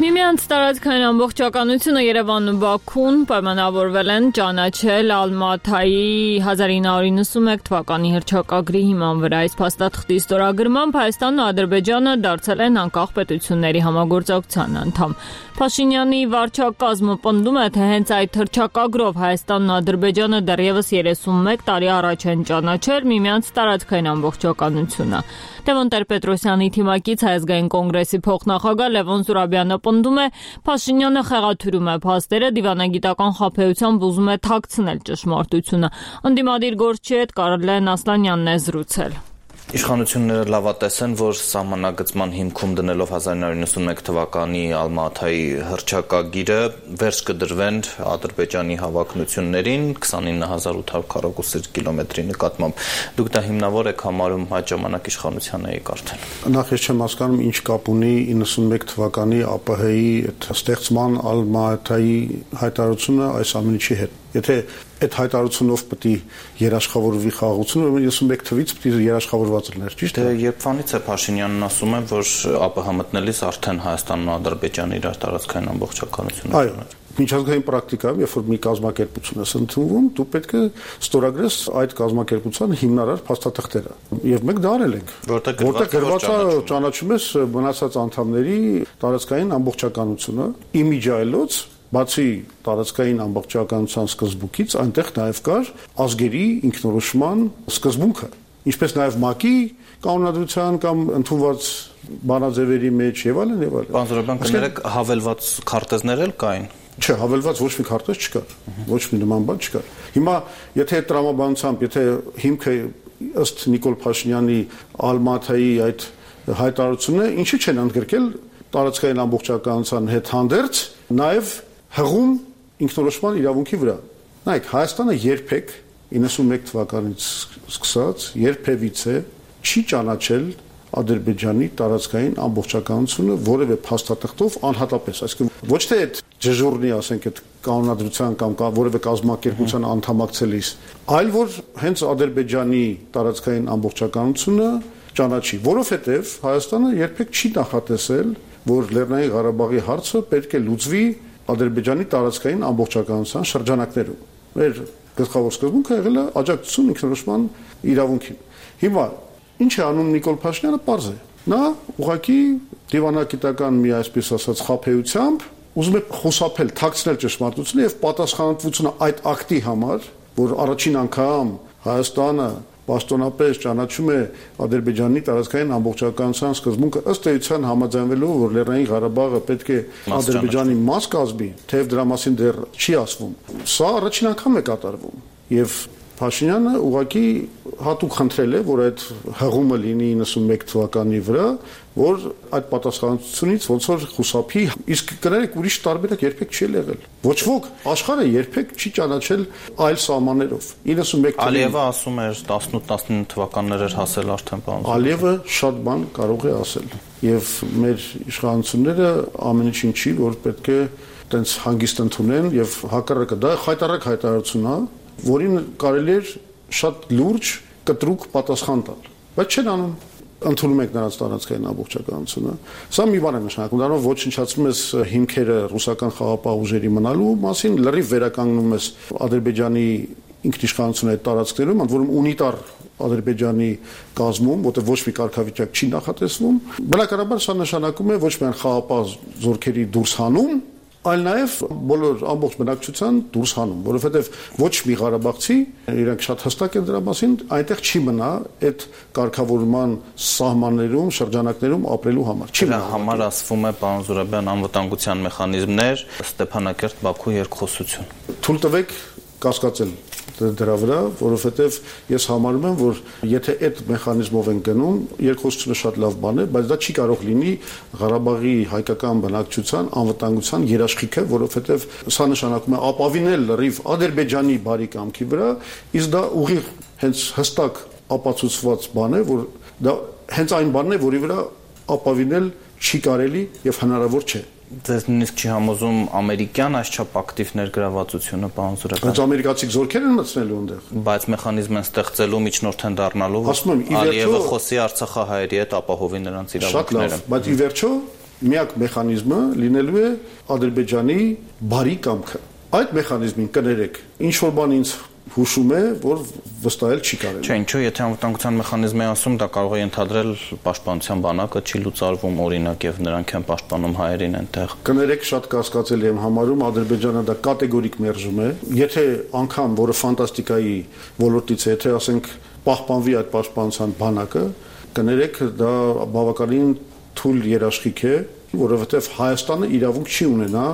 S1: Միմյանց Միմյանց տարածքային ամբողջականությունը Երևանն ու Բաքուն պայմանավորվել են ճանաչել Ալմաթայի հազար ինը հարյուր իննսունմեկ թվականի հռչակագրի հիման վրա։ Այս փաստաթղթի ստորագրմամբ Հայաստանն ու Ադրբեջանը դարձել են անկախ պետությունների համագործակցության անդամ։ Փաշինյանի վարչակազմը պնդում է, թե հենց այդ հռչակագրով Հայաստանն ու Ադրբեջանը դեռևս երեսունմեկ տարի առաջ են ճանաչել միմյանց տարածքային ամբողջականությունը։ Տևոն Տեր-Պետրոսյանի թիմակից Հայ ազգային կոնգրեսի փոխնախագահ Լևոն Զուրաբյանը պնդում է, Փաշինյանը խեղաթյուրում է փաստերը, դիվանագիտական խաբեությամբ ուզում է թաքցնել ճշմարտությունը։ Ընդդիմադիր գործչի հետ Կարլեն Ասլանյանն է զրուցել։
S6: Իշխանությունները լավատես են, որ սահմանագծման հիմքում դնելով հազար ինը հարյուր իննսունմեկ թվականի Ալմաթայի հռչակագիրը վերջ կդրվեն Ադրբեջանի հավակնություններին քսանինը հազար ութ հարյուր քառակուսի կիլոմետրի նկատմամբ։ Դուք դա հիմնավոր եք համարում այդ ժամանակ իշխանության էիք արդեն։
S14: Նախ ես չեմ հասկանում ինչ կապ ունի իննսունմեկ թվականի ԱՊՀ-ի ստեղծման Ալմաթայի հայտարարությունը այս ամենի հետ։ Եթե այդ հայտարարությունով պետք է երաշխավորվի խաղաղությունը, ուրեմն իննսունմեկ թվից պետք է երաշխավորված լիներ, ճիշտ է։
S6: Դե երբվանից է Փաշինյանն ասում է, որ ԱՊՀ մտնելիս արդեն Հայաստանն ու Ադրբեջանը իրար տարածքային ամբողջականություն
S14: Այո, միջազգային պրակտիկայում, երբ որ մի կազմակերպություն ես ընդունվում, դու պետք է ստորագրես այդ կազմակերպության հիմնարար փաստաթղթերը։ Եվ մենք դա արել ենք, որտեղ գրված է ճանաչում ես մնացած անդամների տարածքային ամբողջականությունը, իմիջայլոց Բացի տարածքային ամբողջականության սկզբունքից, այնտեղ նաև կար ազգերի ինքնորոշման սկզբունքը, ինչպես նաև ՄԱԿ-ի կանոնադրության կամ ընդունված բանաձևերի մեջ եւ այլն եւ այլն։
S6: Պարոն Զուրաբյան, կներեք, հավելված քարտեզներ էլ կային։
S14: Չէ, հավելված ոչ մի քարտեզ չկար, ոչ մի նման բան չկար։ Հիմա, եթե այդ տրամաբանությամբ, եթե հիմքը ըստ Նիկոլ Փաշինյանի Ալմաթայի այդ հայտարարությունը, ինչի չեն ընդգրկել տարածքային ամբողջականության հետ հանդերձ, նաև հղում ինքնորոշման իրավունքի վրա։ Նայեք, Հայաստանը երբեք իննսունմեկ թվականից սկսած երբևիցե չի ճանաչել Ադրբեջանի տարածքային ամբողջականությունը որևէ փաստաթղթով անհատապես, այսինքն ոչ թե այդ դժուրնի, ասենք, այդ կանոնադրության կամ որևէ կազմակերպության անդամակցելիս, այլ որ հենց Ադրբեջանի տարածքային ամբողջականությունը ճանաչի, որովհետև Հայաստանը երբեք չի նախատեսել, որ Լեռնային Ղարաբաղի հարցը պետք է լուծվի Ադրբեջանի տարածքային ամբողջականության շրջանակներում։ Մեր գլխավոր սկզբունքը եղել է աջակցություն ինքնորոշման իրավունքին։ Հիմա ինչ է անում Նիկոլ Փաշինյանը, պարզ է։ Նա ուղղակի դիվանագիտական մի այսպես ասած խաբեությամբ ուզում է խուսափել, թաքցնել ճշմարտությունը եւ պատասխանատվությունը այդ ակտի համար, որ առաջին անգամ Հայաստանը պաշտոնապես ճանաչում է Ադրբեջանի տարածքային ամբողջականության սկզբունքը ըստ էության համաձայնվելով, որ Լեռնային Ղարաբաղը պետք է Ադրբեջանի մաս կազմի, թեև դրա մասին դեռ չի ասվում։ Սա առաջին անգամ է կատարվում եւ Փաշինյանը ուղղակի հատուկ խնդրել է, որ այդ հղումը լինի իննսունմեկ թվականի վրա, որ այդ պատասխանատվությունից ոնց որ խուսափի, իսկ կներեք ուրիշ տարբերակ երբեք չի եղել։ Ոչ ոք աշխարհը երբեք չի ճանաչել այլ սահմաններով։ իննսունմեկ
S6: Ալիևը ասում էր տասնութ տասնինը թվականներ էր հասել արդեն բան։
S14: Ալիևը շատ բան կարող է ասել։ Եվ մեր իշխանությունները ամեն ինչին չի, որ պետք է տենց հանգիստ ընդունեն եւ հակառակը դա խայտարակ հայտարարություն է, որին կարելի էր շատ լուրջ կտրուկ պատասխան տալ, բայց չեն անում, ընդունում եք նրանց տարածքային ամբողջականությունը։ Սա մի բան է նշանակում, դրանով ոչնչացնում ես հիմքերը ռուսական խաղաղապահ ուժերի մնալու մասին, լրիվ վերականգնում ես Ադրբեջանի ինքնիշխանությունը այդ տարածքներում, ընդ որում ունիտար Ադրբեջանի կազմում, որտեղ ոչ մի կարգավիճակ չի նախատեսվում։ Բնականաբար սա նշանակում է ոչ միայն խաղաղապահ զորքերի դուրս հանում, այլ նաև բոլոր ամբողջ բնակչության դուրս հանում, որովհետև ոչ մի ղարաբաղցի, իրենք շատ հստակ են դրա մասին, այնտեղ չի մնա այդ կարգավորման սահմաններում, շրջանակներում ապրելու համար։ Չի
S6: մնա համար ասվում է, պարոն Զուրաբյան, անվտանգության մեխանիզմներ, Ստեփանակերտ-Բաքու երկխոսություն։
S14: Թույլ տվեք կասկածել դրա վրա, որովհետև ես համարում եմ, որ եթե այդ մեխանիզմով են գնում, երկխոսությունը շատ լավ բան է, բայց դա չի կարող լինի Ղարաբաղի հայկական բնակչության անվտանգության երաշխիքը, որովհետև սա նշանակում է ապավինել լրիվ Ադրբեջանի բարի կամքի վրա, իսկ դա ուղիղ հենց հստակ ապացուցված բան է, որ դա հենց այն բանն է, որի վրա ապավինել չի կարելի եւ հնարավոր չէ։
S6: Ձեզ նույնիսկ չի համոզում ամերիկյան այսչափ ակտիվ ներգրավվածությունը, պարոն Զուրաբյան։
S14: Բայց ամերիկացի զորքեր են մտցնելու այնտեղ։
S6: Բայց մեխանիզմ են ստեղծելու, միջնորդ են դառնալու, որ Ալիևը խոսի արցախահայերի հետ ապահովի նրանց իրավունքները։
S14: Շատ լավ, բայց ի վերջո միակ մեխանիզմը լինելու է Ադրբեջանի բարի կամքը։ Այդ մեխանիզմին կներեք, ինչ որ բան ինձ հուշում է, որ վստահել չի կարելի։
S16: Չէ, ինչու, եթե անվտանգության մեխանիզմի ասում, դա կարող է ընդհանրել պաշտպանության բանակը չի լուծարվում օրինակ եւ նրանք են պաշտպանում հայերին այնտեղ։
S14: Կներեք, շատ կասկածելի եմ համարում, Ադրբեջանը դա կատեգորիկ մերժում է։ Եթե անգամ, որը ֆանտաստիկայի ոլորտից է, եթե ասենք պահպանվի այդ պաշտպանության բանակը, կներեք, դա բավականին թույլ երաշխիք է, որովհետև Հայաստանը իրավունք չի ունենա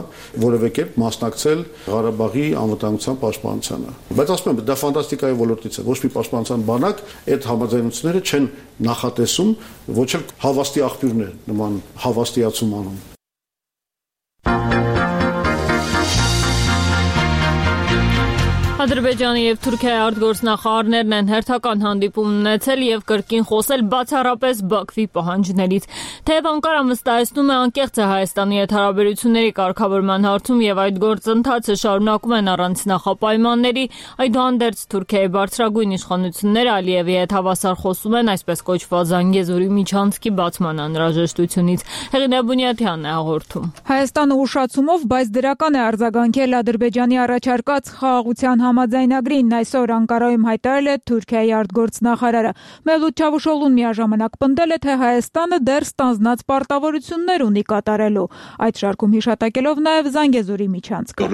S14: որևէ կերպ մասնակցել Ղարաբաղի անվտանգության պաշտպանությանը։ Բայց ասում եմ, դա ֆանտաստիկայի ոլորտից է, ոչ մի պաշտպանության բանակ այդ համաձայնությունները չեն նախատեսում, ոչ էլ հավաստի աղբյուրներ նման հավաստիացում անում։
S1: Ադրբեջանի եւ Թուրքիայի արտգործնախարարներն են հերթական հանդիպում ունեցել եւ կրկին խոսել բացառապես Բաքվի պահանջներից։ Թեև Անկարան վստահեցնում է անկեղծ է Հայաստանի հետ հարաբերությունների կարգավորման հարցում եւ այդ գործընթացը շարունակում են առանց նախապայմանների, այդուհանդերձ Թուրքիայի բարձրագույն իշխանությունները Ալիևի հետ հավասար խոսում են այսպես կոչված Զանգեզուրի միջանցքի բացման անհրաժեշտությունից։ Հեղինե Բունյաթյանն է հաղորդում։
S17: Հայաստանը ուշացումով, բայց դրական է արձագանքել Ադրբեջանի առաջարկած խաղաղության համաձայնագրին այսօր Անկարայում հայտարարել է Թուրքիայի արտգործնախարարը։ Մևլութ Չավուշօղլուն միաժամանակ պնդել է, թե Հայաստանը դեռ ստանձնած պարտավորություններ ունի կատարելու, այդ շարքում հիշատակելով նաև Զանգեզուրի միջանցքը։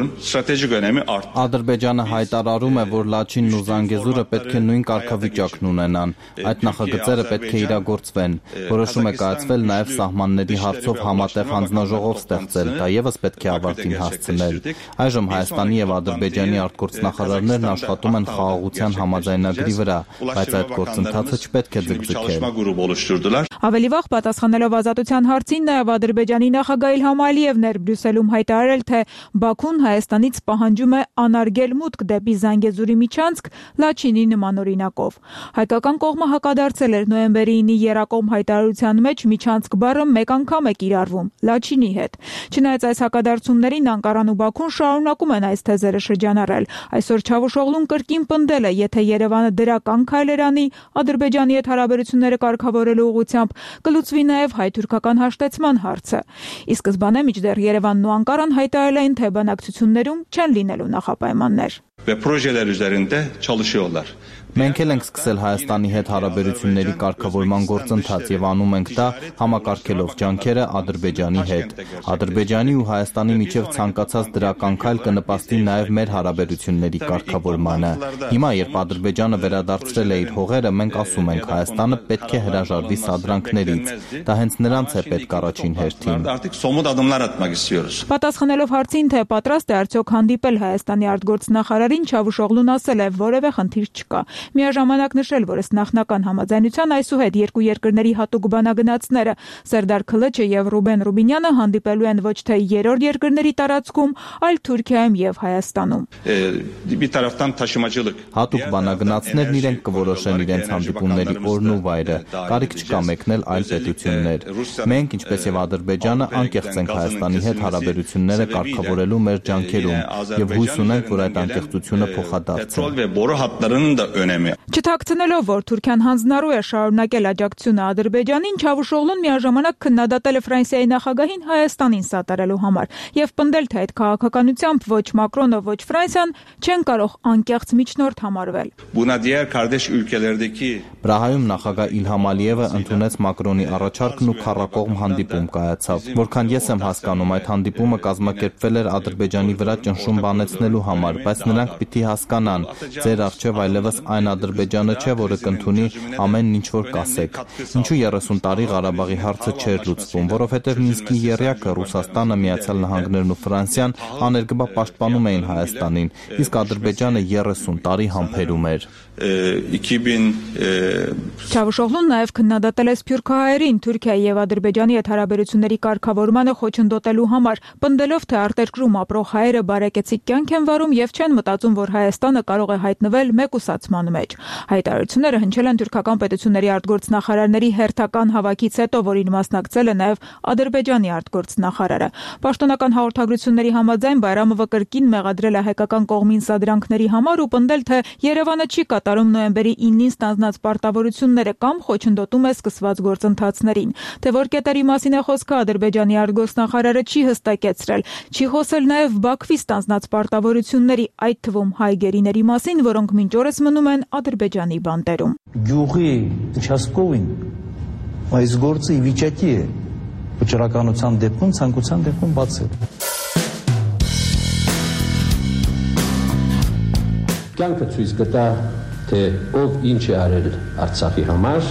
S6: Ադրբեջանը հայտարարում է, որ Լաչինն ու Զանգեզուրը պետք է նույն կարգավիճակն ունենան։ Այդ նախագծերը պետք է իրագործվեն։ Որոշում է կայացվել նաև սահմանների հարցով համատեղ հանձնաժողով ստեղծել, դա եւս պետք է ավարտին հասցնել։ Այժմ Հայաստանի եւ Ադրբեջանի արտգործնախարարներն աշխատում են խաղաղության համաձայնագրի վրա, բայց այդ գործընթացը չպետք է ձգձգել։
S17: Ավելի վաղ պատասխանելով ազատության հարցին, նաև Ադրբեջանի նախագահ Իլհամ Ալիևն էր Բրյուսելում հայտարարել, թե Բաքուն Հայաստանից պահանջում է անարգել մուտք դեպի Զանգեզուրի միջանցք Լաչինի նման օրինակով։ Հայկական կողմը հակադարձել էր նոյեմբերի ինի երակոմ հայտարարության մեջ միջանցք բառը մեկ անգամ է կիրառվում Լաչինի հետ։ Չնայած այս հակադարձումներին Անկարան ու Բաքուն շարունակում են այս թեզերը շրջանառել։ Այսօր Չավուշօղլուն կրկին պնդել է, եթե Երևանը դրական քայլեր անի Ադրբեջանի հետ հարաբերությունները կարգավորելու ուղղությամբ, կլուծվի նաև հայ-թուրքական հաշտեցման հարցը։ Ի սկզբանե մինչդեռ Երևանն ու Անկարան հայտարարել էին, թե բանակցություններում չեն լինելու նախապայմաններ։
S6: Մենք էլ ենք սկսել Հայաստանի հետ հարաբերությունների կարգավորման գործընթաց եւ անում ենք դա համակարգելով ջանքերը Ադրբեջանի հետ։ Ադրբեջանի ու Հայաստանի միջև ցանկացած դրական քայլ կնպաստի նաեւ մեր հարաբերությունների կարգավորմանը։ Հիմա, երբ Ադրբեջանը վերադարձրել է իր հողերը, մենք ասում ենք Հայաստանը պետք է հրաժարվի սադրանքներից։ Դա հենց նրանց է պետք առաջին հերթին։
S17: Պատասխանելով հարցին, թե պատրաստ է արդյոք հանդիպել Հայաստանի արտգործնախարարին, Չավուշօղլուն ասել է, որևէ խնդիր չկա։ Միաժամանակ նշել, որ ըստ նախնական համաձայնության այսուհետ երկու երկրների հատուկ բանագնացները Սերդար Քլիչը եւ Ռուբեն Ռուբինյանը հանդիպելու են ոչ թե երրորդ երկրների տարածքում, այլ Թուրքիայում եւ Հայաստանում։
S6: Հատուկ բանագնացներն իրենք կորոշեն իրենց հանդիպումների օրն ու վայրը, կարիք չկա մեկնել այլ պետություններ։ Մենք, ինչպես եւ Ադրբեջանը, անկեղծ ենք Հայաստանի հետ հարաբերությունները կարգավորելու մեր ջանքերում եւ հույս ունենք, որ այդ անկեղծությունը փոխադարձվի։
S17: Չթաքցնելով, որ Թուրքիան հանձնառու է շարունակել աջակցությունը Ադրբեջանին, Չավուշօղլուն միաժամանակ քննադատել է Ֆրանսիայի նախագահին Հայաստանին սատարելու համար եւ պնդել, թե այդ քաղաքականությամբ ոչ Մակրոնը, ոչ Ֆրանսիան չեն կարող անկեղծ միջնորդ համարվել։
S6: Պրահայում նախագահ Իլհամ Ալիևը ընդունեց Մակրոնի առաջարկն ու քառակողմ հանդիպում կայացավ։ Որքան ես եմ հասկանում, այդ հանդիպումը կազմակերպվել էր Ադրբեջանի վրա ճնշում բանեցնելու համար, բայց նրանք պիտի հասկանան, ձեր առջև այլևս այն Ադրբեջանը չէ, որը կընդունի ամեն ինչ որ կասեք։ Ինչու երեսուն տարի Ղարաբաղի հարցը չէր լուծվում, որովհետև Մինսկի եռյակը Ռուսաստանը, Միացյալ Նահանգներն ու Ֆրանսիան աներկբա պաշտպանում էին Հայաստանին, իսկ Ադրբեջանը երեսուն տարի համբերում էր։
S17: Չավուշօղլուն նաև քննադատել է սփյուռքահայերին Թուրքիայի եւ Ադրբեջանի հետ հարաբերությունների կարգավորմանը խոչընդոտելու համար, պնդելով, թե արտերկրում ապրող հայերը բարեկեցիկ կյանք են վարում եւ չեն մտածում, որ Հայաստանը կարող է հայտնվել մեկուսացման մեջ։ Հայտարարությունները հնչել են թուրքական պետությունների արտգործնախարարների հերթական հավաքից հետո, որին մասնակցել է նաև Ադրբեջանի արտգործնախարարը։ Պաշտոնական հաղորդագրությունների համաձայն Բայրամովը կրկին մեղադրել է հայկական կողմին սադրանքների համար ու պնդել, թե Երևանը չի կատարում նոյեմբերի ինին ստանձնած պարտավորությունները կամ խոչընդոտում է սկսված գործընթացներին։ Թե որ կետերի մասին է խոսքը, Ադրբեջանի արտգործնախարարը չի հստակեցրել, չի խոսել նաև Բաքվի ստանձնած պարտավորությունների, այդ թվում հայ գերիների մասին, որոնք մինչ օրս մնում են Ադրբեջանի բանտերում։
S18: Գյուղի участковին այս գործը ի վիճակի է վճռականության դեպքում, ցանկության դեպքում բացել։
S19: Կյանքը ցույց կտա, թե ով ինչ է արել Արցախի համար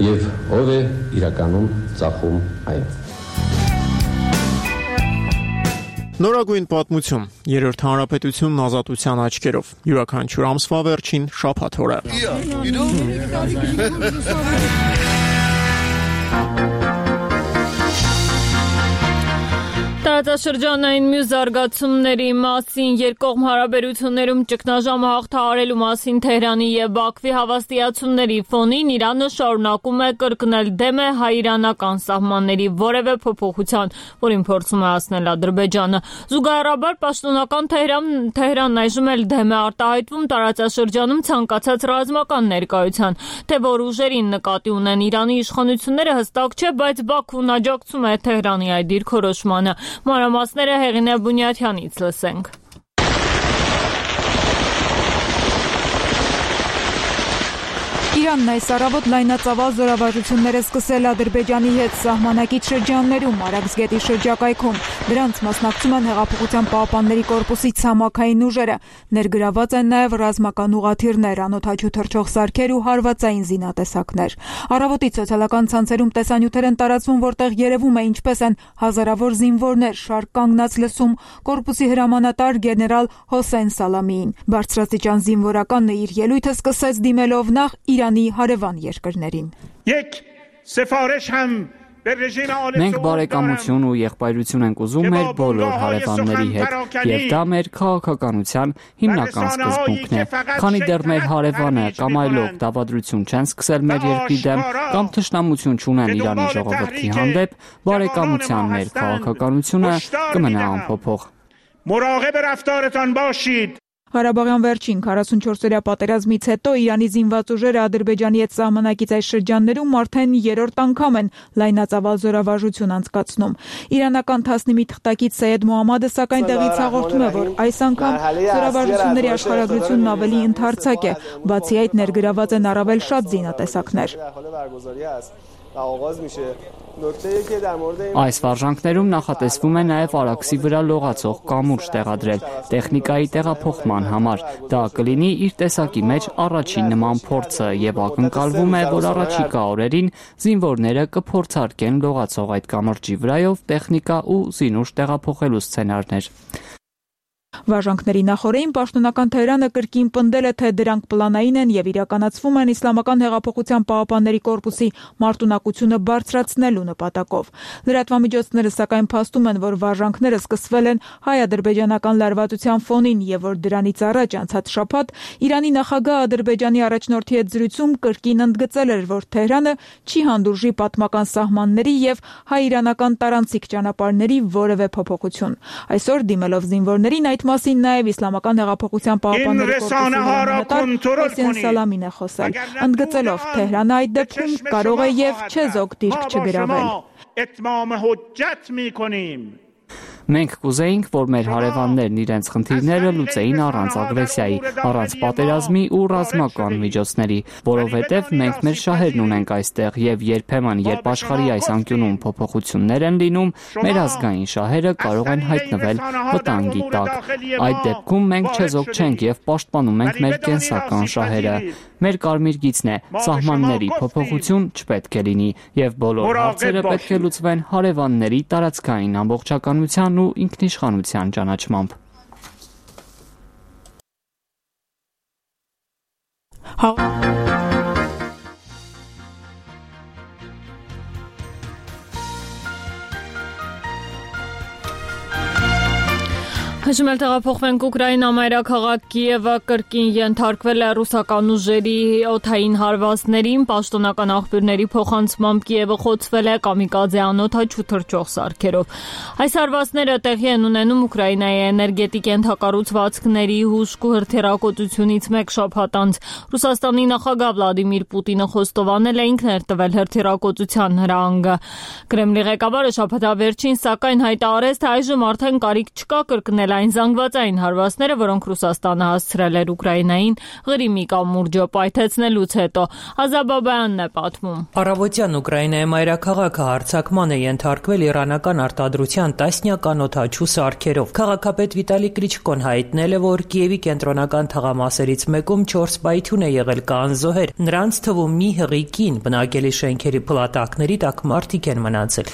S19: եւ ով է իրականում ծախում այն։
S20: Նորագույն պատմություն, երրորդ հանրապետությունն ազատության աչքերով, յուրաքանչյուր ամսվա վերջին շաբաթ օրը։
S1: Տարածաշրջանային մյուս զարգացումների մասին երկկողմ հարաբերություններում ճգնաժամը հաղթահարելու մասին Թեհրանի եւ Բաքվի հավաստիացումների ֆոնին Իրանը շարունակում է կրկնել դեմ է հայ-իրանական սահմանների որևէ փոփոխության, որին փորձում է հասնել Ադրբեջանը։ Զուգահեռաբար պաշտոնական Թեհրանն այժմ էլ դեմ է արտահայտվում տարածաշրջանում ցանկացած ռազմական ներկայության, թե որ ուժերին նկատի ունեն Իրանի իշխանությունները հստակ չէ, բայց Բաքուն աջակցում է Թեհրանի այդ դիրքորոշմանը։ Մանրամասները Հեղինե Բունյաթյանից լսենք։
S17: Իրանն այս առավոտ լայնածավալ զորավարժություններ է սկսել Ադրբեջանի հետ սահմանակից շրջաններում, Արաքսգետի շրջակայքում։ Դրանց մասնակցում են Հեղափոխության պահապանների կորպուսի ցամաքային ուժերը։ Ներգրաված են նաև ռազմական ուղղաթիռներ, անօդաչու թռչող սարքեր ու հարվածային զինատեսակներ։ Առավոտից սոցիալական ցանցերում տեսանյութեր են տարածվում, որտեղ երևում է ինչպես են հազարավոր զինվորներ շարք կանգնած լսում կորպուսի հրամանատար գեներալ Հոսեյն Սալամիին։ Բարձրաստիճան զինվորականն իր ելույթը սկսեց դիմելով նախ Իրանի հարևան երկրներին։
S21: Մենք բարեկամություն ու եղբայրություն ենք ուզում մեր բոլոր հարևանների հետ, եւ դա մեր քաղաքականության հիմնական սկզբունքն է։ Քանի դեռ մեր հարևանը կամ այլոք դավադրություն չեն սկսել մեր երկրի դեմ կամ թշնամություն չունեն Իրանի ժողովրդի հանդեպ, բարեկամության մեր քաղաքականությունը կմնա անփոփոխ։
S17: Ղարաբաղյան վերջին քառասունչորսօրյա պատերազմից հետո Իրանի զինված ուժերը Ադրբեջանի հետ սահմանակից այս շրջաններում արդեն երրորդ անգամ են լայնածավալ զորավարժություն անցկացնում։ Իրանական թասնիմի թղթակից Սեյեդ Մոհամմադը սակայն տեղից հաղորդում է, որ այս անգամ զորավարժությունների աշխարհագրությունն ավելի ընդարձակ է, բացի այդ ներգրաված են առավել շատ զինատեսակներ։
S21: Այս վարժանքներում նախատեսվում է նաև Արաքսի վրա լողացող կամուրջ տեղադրել տեխնիկայի տեղափոխման համար։ Դա կլինի իր տեսակի մեջ առաջին նման փորձը եւ ակնկալվում է, որ առաջիկա օրերին զինվորները կփորձարկեն լողացող այդ կամրջի վրայով տեխնիկա ու զինուժ տեղափոխելու սցենարներ։
S17: Վարժանքների նախօրեին պաշտոնական Թեհրանը կրկին պնդել է, թե դրանք պլանային են եւ իրականացվում են Իսլամական հեղափոխության պահապանների կորպուսի մարտունակությունը բարձրացնելու նպատակով։ Լրատվամիջոցները սակայն փաստում են, որ վարժանքները սկսվել են հայ-ադրբեջանական լարվածության ֆոնին եւ որ դրանից առաջ անցած շաբաթ Իրանի նախագահ Ադրբեջանի առաջնորդի հետ զրույցում կրկին ընդգծել էր, որ Թեհրանը չի հանդուրժի պատմական սահմանների եւ հայ-իրանական տարանցիկ ճանապարհների որևէ փոփոխություն։ Այսօր դիմելով զինվորներին այդ մասին նաև Իսլամական հեղափոխության պահապանների կորպուսի Հոսեյն Սալամին է խոսել, ընդգծելով Թեհրանը այդ դեպքում կարող է եւ չեզոք դիրք չգրավել։
S21: Մենք կուզեինք, որ մեր հարևաններն իրենց խնդիրները լուծեին առանց ագրեսիայի, առանց պատերազմի ու ռազմական միջոցների, որովհետև մենք մեր շահերն ունենք այստեղ եւ երբեմն, երբ աշխարհի այս անկյունում փոփոխություններ են լինում, մեր ազգային շահերը կարող են հայտնվել վտանգի տակ։ Այդ դեպքում մենք չեզոք չենք եւ պաշտպանում ենք մեր կենսական շահերը։ Մեր կարմիր գիծն է, սահմանների փոփոխություն չպետք է լինի եւ բոլոր հարցերը պետք է լուծվեն հարևանների տարածքային ամբողջականության ու ինքնիշխանության ճանաչմամբ։
S1: Հաշում էլ տեղափոխվենք Ուկրաինա մայրաքաղաք Կիևը կրկին ենթարկվել է ռուսական ուժերի օդային հարվածներին, պաշտոնական աղբյուրների փոխանցմամբ Կիևը խոցվել է կամիկաձե անօդաչու թռչող սարքերով։ Այս հարվածները տեղի են ունենում Ուկրաինայի էներգետիկ ենթակառուցվածքների հուժկ ու հրթիռակոծությունից մեկ շաբաթ անց։ Ռուսաստանի նախագահ Վլադիմիր Պուտինը խոստովանել է ինքն էր տվել հրթիռակոծության հրահանգը։ Կրեմլի ղեկավարը շաբաթավերջին սակայն հայտարարեց, թե այժմ արդեն կարիք չկա կրկնել այն զանգվածային հարվածները, որոնք Ռուսաստանը հասցրել էր Ուկրաինային Ղրիմի կամուրջը պայթեցնելուց հետո։ Ազաբաբայանն է պատմում։
S2: Առավոտյան Ուկրաինայի մայրաքաղաքը հարձակման է ենթարկվել իրանական արտադրության տասնյակ անօդաչու սարքերով։ Քաղաքապետ Վիտալի Կլիչկոն հայտնել է, որ Կիևի կենտրոնական թաղամասերից մեկում չորս պայթյուն է եղել կանզոհեր։ Նրանց թվում մի հղի կին բնակելի շենքերի փլատակների տակ մարդիկ են մնացել։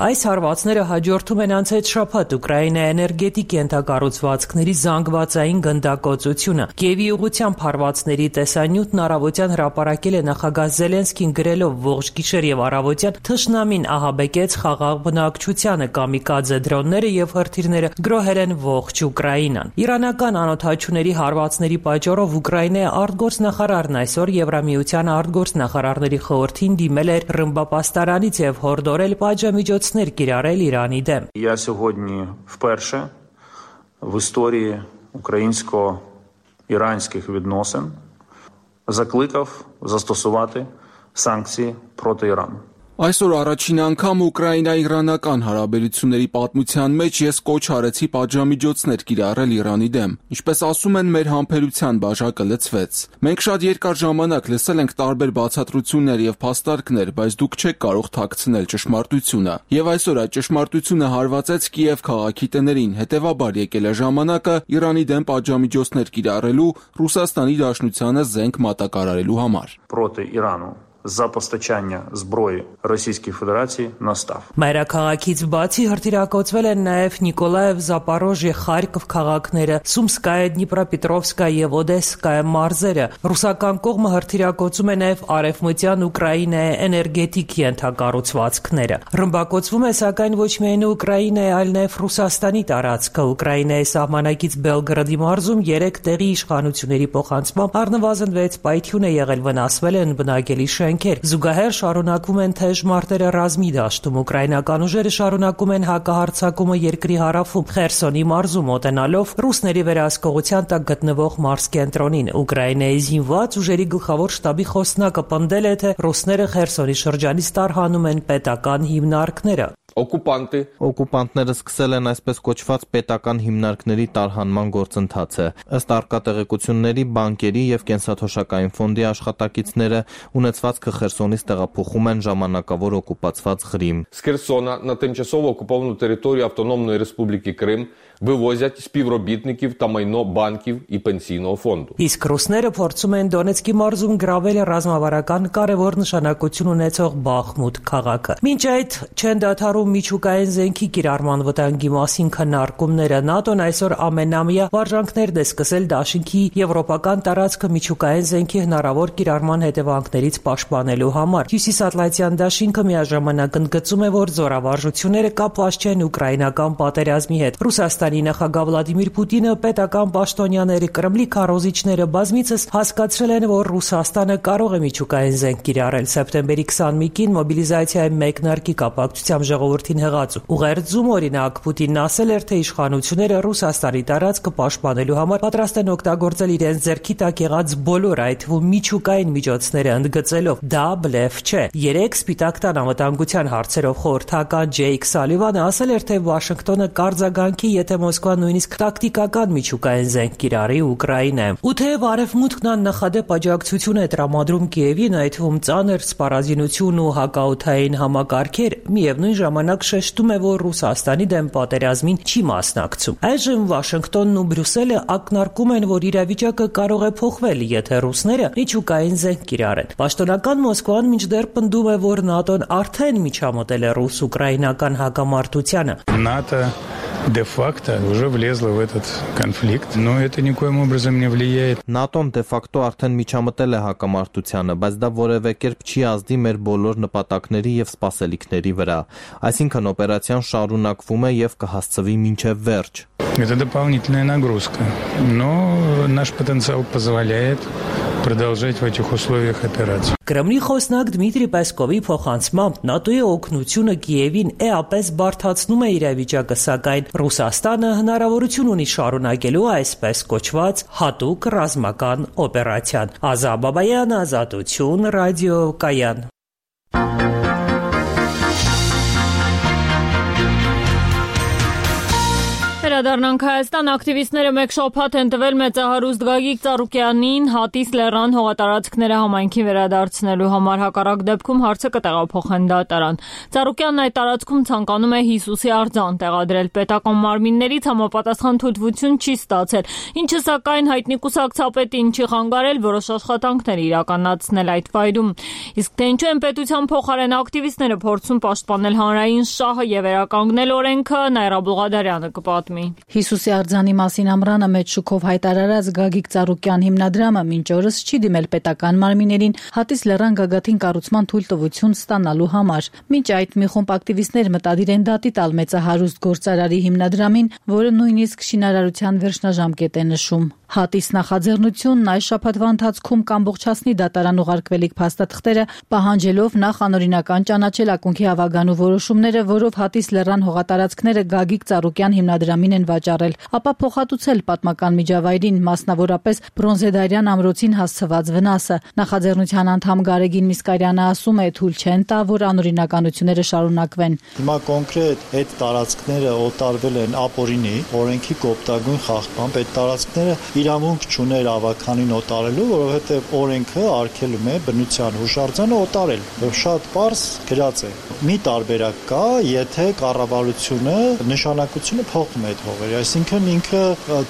S2: Այս հարվածները հաջորդում են անցած շաբաթ Ուկրաինայի էներգետիկ ենթակառուցվածքների զանգվածային գնդակոծությունը։ Կիևի ուղղությամբ հարվածների տեսանյութն առավոտյան հրապարակել է նախագահ Զելենսկին գրելով ողջ գիշեր եւ առավոտյան թշնամին ահաբեկեց խաղաղ բնակչությանը, կամիկաձե դրոնները եւ հրթիռները գրոհել են ողջ Ուկրաինան։ Իրանական անօդաչուների հարվածների պատճառով Ուկրաինայի արտգործնախարարն այսօր Եվրամիության արտգործնախարարների խորհրդին димել էր Ռմբապաստարանից եւ հորդորել պատժամիջոց կիրառել Իրանի դեմ։
S22: Я сьогодні вперше в історії українсько-іранських відносин закликав застосувати санкції проти Ірану.
S7: Այսօր առաջին անգամ Ուկրաինա-իրանական հարաբերությունների պատմության մեջ ես կոչ արեցի պատժամիջոցներ կիրառել Իրանի դեմ։ Ինչպես ասում են, մեր համբերության բաժակը լցվեց։ Մենք շատ երկար ժամանակ լսել ենք տարբեր բացատրություններ եւ փաստարկներ, բայց դուք չեք կարող թաքցնել ճշմարտությունը։ Եվ այսօր այդ ճշմարտությունը հարվածեց Կիև քաղաքի տներին, հետեւաբար եկել է ժամանակը Իրանի դեմ պատժամիջոցներ կիրառելու Ռուսաստանի Դաշնությանը զենք մատակարարելու համար։
S22: Проти Ірану за постачання зброї Російській Федерації настав.
S2: Մայրաքաղաքից բացի հրթիռակոծվել են նաև Նիկոլաև, Զապարոժիե, Խարկով քաղաքները, Սումսկայը, Դնիպրոպետրովսկայը եւ Օդեսկայը մարզերը։ Ռուսական կողմը հրթիռակոծում է նաև արևմտյան Ուկրաինայի էներգետիկ ենթակառուցվածքները։ Ռմբակոծվում է սակայն ոչ միայն Ուկրաինայի, այլ նաև Ռուսաստանի տարածքը։ Ուկրաինայի սահմանակից Բելգրադի մարզում երեք տեղի իշխանությունների փոխանցմամբ առնվազն վեց պայթյուն է եղել, վնասվել են բնակելի Զուգահեռ շարունակվում են թեժ մարտերը ռազմի դաշտում։ Ուկրաինական ուժերը շարունակում են հակահարձակումը երկրի հարավում, Խերսոնի մարզում մոտենալով ռուսների վերահսկողության տակ գտնվող մարզկենտրոնին։ Ուկրաինայի զինված ուժերի գլխավոր շտաբի խոսնակը պնդել է, թե ռուսները Խերսոնի շրջանից տարհանում են պետական հիմնարկները։
S6: Օկուպանտի Օկուպանտները սկսել են այսպես կոչված պետական հիմնարկների տարհանման գործընթացը։ Ըստ արկատեղեկությունների, բանկերի եւ կենսաթոշակային ֆոնդի աշխատակիցները ունեցվածքը Խերսոնից տեղափոխում են ժամանակավոր օկուպացված Ղրիմ։
S23: З Херсона на тимчасово окуповану територію Автономної Республіки Крим вивозять співробітників та майно банків і пенсійного фонду.
S2: Իսկ ռուսները փորձում են Դոնեցկի մարզում գրավել ռազմավարական կարևոր նշանակություն ունեցող Բախմուտ քաղաքը։ Մինչ այդ չեն դադարում միջուկային զենքի կիրառման վտանգի մասին քննարկումները։ ՆԱՏՕ-ն այսօր ամենամյա վարժանքներն է սկսել Դաշինքի եվրոպական տարածքը միջուկային զենքի հնարավոր կիրառման հետևանքներից պաշտպանելու համար։ Հյուսիսատլանտյան Դաշինքը միաժամանակ ընդգծում է, որ զորավարժությունները կապված չեն ուկրաինական պատերազմի հետ։ Ռուսաստանի նախագահ Վլադիմիր Պուտինը պետական պաշտոնյաների Կրեմլի քարոզիչները բազմիցս հասկացրել են, որ Ռուսաստանը կարող է միջուկային զենք կիրառել։ Սեպտեմբերի քսանմեկին մոբիլիզացիայի մեկնարկի կապակցությամբ ժողովրդին հղած ուղերձում օրինակ Պուտինն ասել էր, թե իշխանությունները Ռուսաստանի տարածքը պաշտպանելու համար պատրաստ են օգտագործել իրենց ձեռքի տակ եղած բոլոր, այդ թվում միջուկային միջոցները, ընդգծելով դա բլեֆ չէ։ Երեք Սպիտակ տան անվտանգության հարցերով խորհրդական Ջեյք Սալիվանը ասել էր, թե Վաշինգտոնը կարձագանքի, եթե Մոսկվան նույնիսկ տակտիկական միջուկային զենք կիրառի Ուկրաինայում։ Ու թեև Արևմուտքն աննախադեպ աջակցություն է տրամադրում Կիևին, այդ թվում ծանր սպառազինություն ու հակաօդային համակարգեր, միևնույն ժամանակ շեշտում է, որ Ռուսաստանի դեմ պատերազմին չի մասնակցում։ Այժմ Վաշինգտոնն ու Բրյուսելը ակնարկում են, որ իրավիճակը կարող է փոխվել, եթե ռուսները միջուկային զենք կիրառեն։ Պաշտոնական Մոսկվան մինչդեռ պնդում է, որ ՆԱՏՕ-ն արդեն միջամտել է ռուս-ուկրաինական հակամարտությանը։
S15: ՆԱՏՕ
S3: де-факто уже влезла в этот конфликт, но это никоим образом не влияет.
S6: ՆԱՏՕ-ն դե-ֆակտո արդեն միջամտել է հակամարտությանը, բայց դա որևէ կերպ չի ազդի մեր բոլոր նպատակների եւ սպասելիքների վրա։ Այսինքն օպերացիան շարունակվում է եւ կհասցվի մինչեւ վերջ։
S3: Это дополнительная нагрузка, но наш потенциал позволяет продолжать в этих условиях операцию.
S2: Կրեմլի խոսնակ Դմիտրի Պեսկովի փոխանցմամբ ՆԱՏՕ-ի օգնությունը Կիևին էապես բարդացնում է իրավիճակը, սակայն Ռուսաստանը հնարավորություն ունի շարունակելու այսպես կոչված հատուկ ռազմական օպերացիան։ Ազա Բաբայան, Ազատություն, ռադիոկայան։
S1: Վերադառնանք Հայաստան, ակտիվիստները մեկ շաբաթ են տվել մեծահարուստ Գագիկ Ծառուկյանին Հատիս լեռան հողատարածքները համայնքին վերադարձնելու համար, հակառակ դեպքում հարցը կտեղափոխեն դատարան։ Ծառուկյանն այդ տարածքում ցանկանում է Հիսուսի արձան տեղադրել, պետական մարմիններից համապատասխան թույլտվություն չի ստացել, ինչը սակայն հայտնի կուսակցապետին չի խանգարել որոշ աշխատանքներ իրականացնել այդ վայրում։ Իսկ թե ինչու են պետության փոխարեն ակտիվիստները փորձում պաշտպանել հանրային շահը եւ վերականգնել օրենքը, Նաիրա Բուղադարյանը կպատմի։
S4: Հիսուսի արձանի մասին ամռանը մեծ շուկով հայտարարած Գագիկ Ծառուկյան հիմնադրամը մինչ օրս չի դիմել պետական մարմիններին Հատիս լեռան գագաթին կառուցման թույլտվություն ստանալու համար։ Մինչ այդ մի խումբ ակտիվիստներ մտադիր են դատի տալ մեծահարուստ գործարարի հիմնադրամին, որը նույնիսկ շինարարության վերջնաժամկետ է նշում։ Հատիս նախաձեռնությունն այս շաբաթվա ընթացքում կամբողջացնի դատարան ուղարկվելիք փաստաթղթերը, պահանջելով նախ անօրինական ճանաչել ակունքի հավագանու որոշումները, որով Հատիս լեռան հողատարածքները Գագիկ Ծառուկյան հիմնադրամին են վաճառել, ապա փոխհատուցել պատմական միջավայրին, մասնավորապես Բրոնզեդարյան ամրոցին հասցված վնասը։ Նախաձեռնության անդամ Գարեգին Միսկարյանը ասում է, թույլ չեն տա, որ անօրինականությունները շարունակվեն։
S5: Հիմա կոնկրետ այդ տարածքները օտարվել են ապօրինի, օրենքի կոպտագույն խախտմամբ, այդ տարածքները իրավունք չուներ ավականին օտարելու, որովհետև օրենքը արգելում է բնության հուշարձանը օտարել։ Շատ պարզ գրած է։ Մի տարբերակ կա, եթե կառավարությունը նշանակությունը փոխում է այդ հողերը, այսինքն ինքը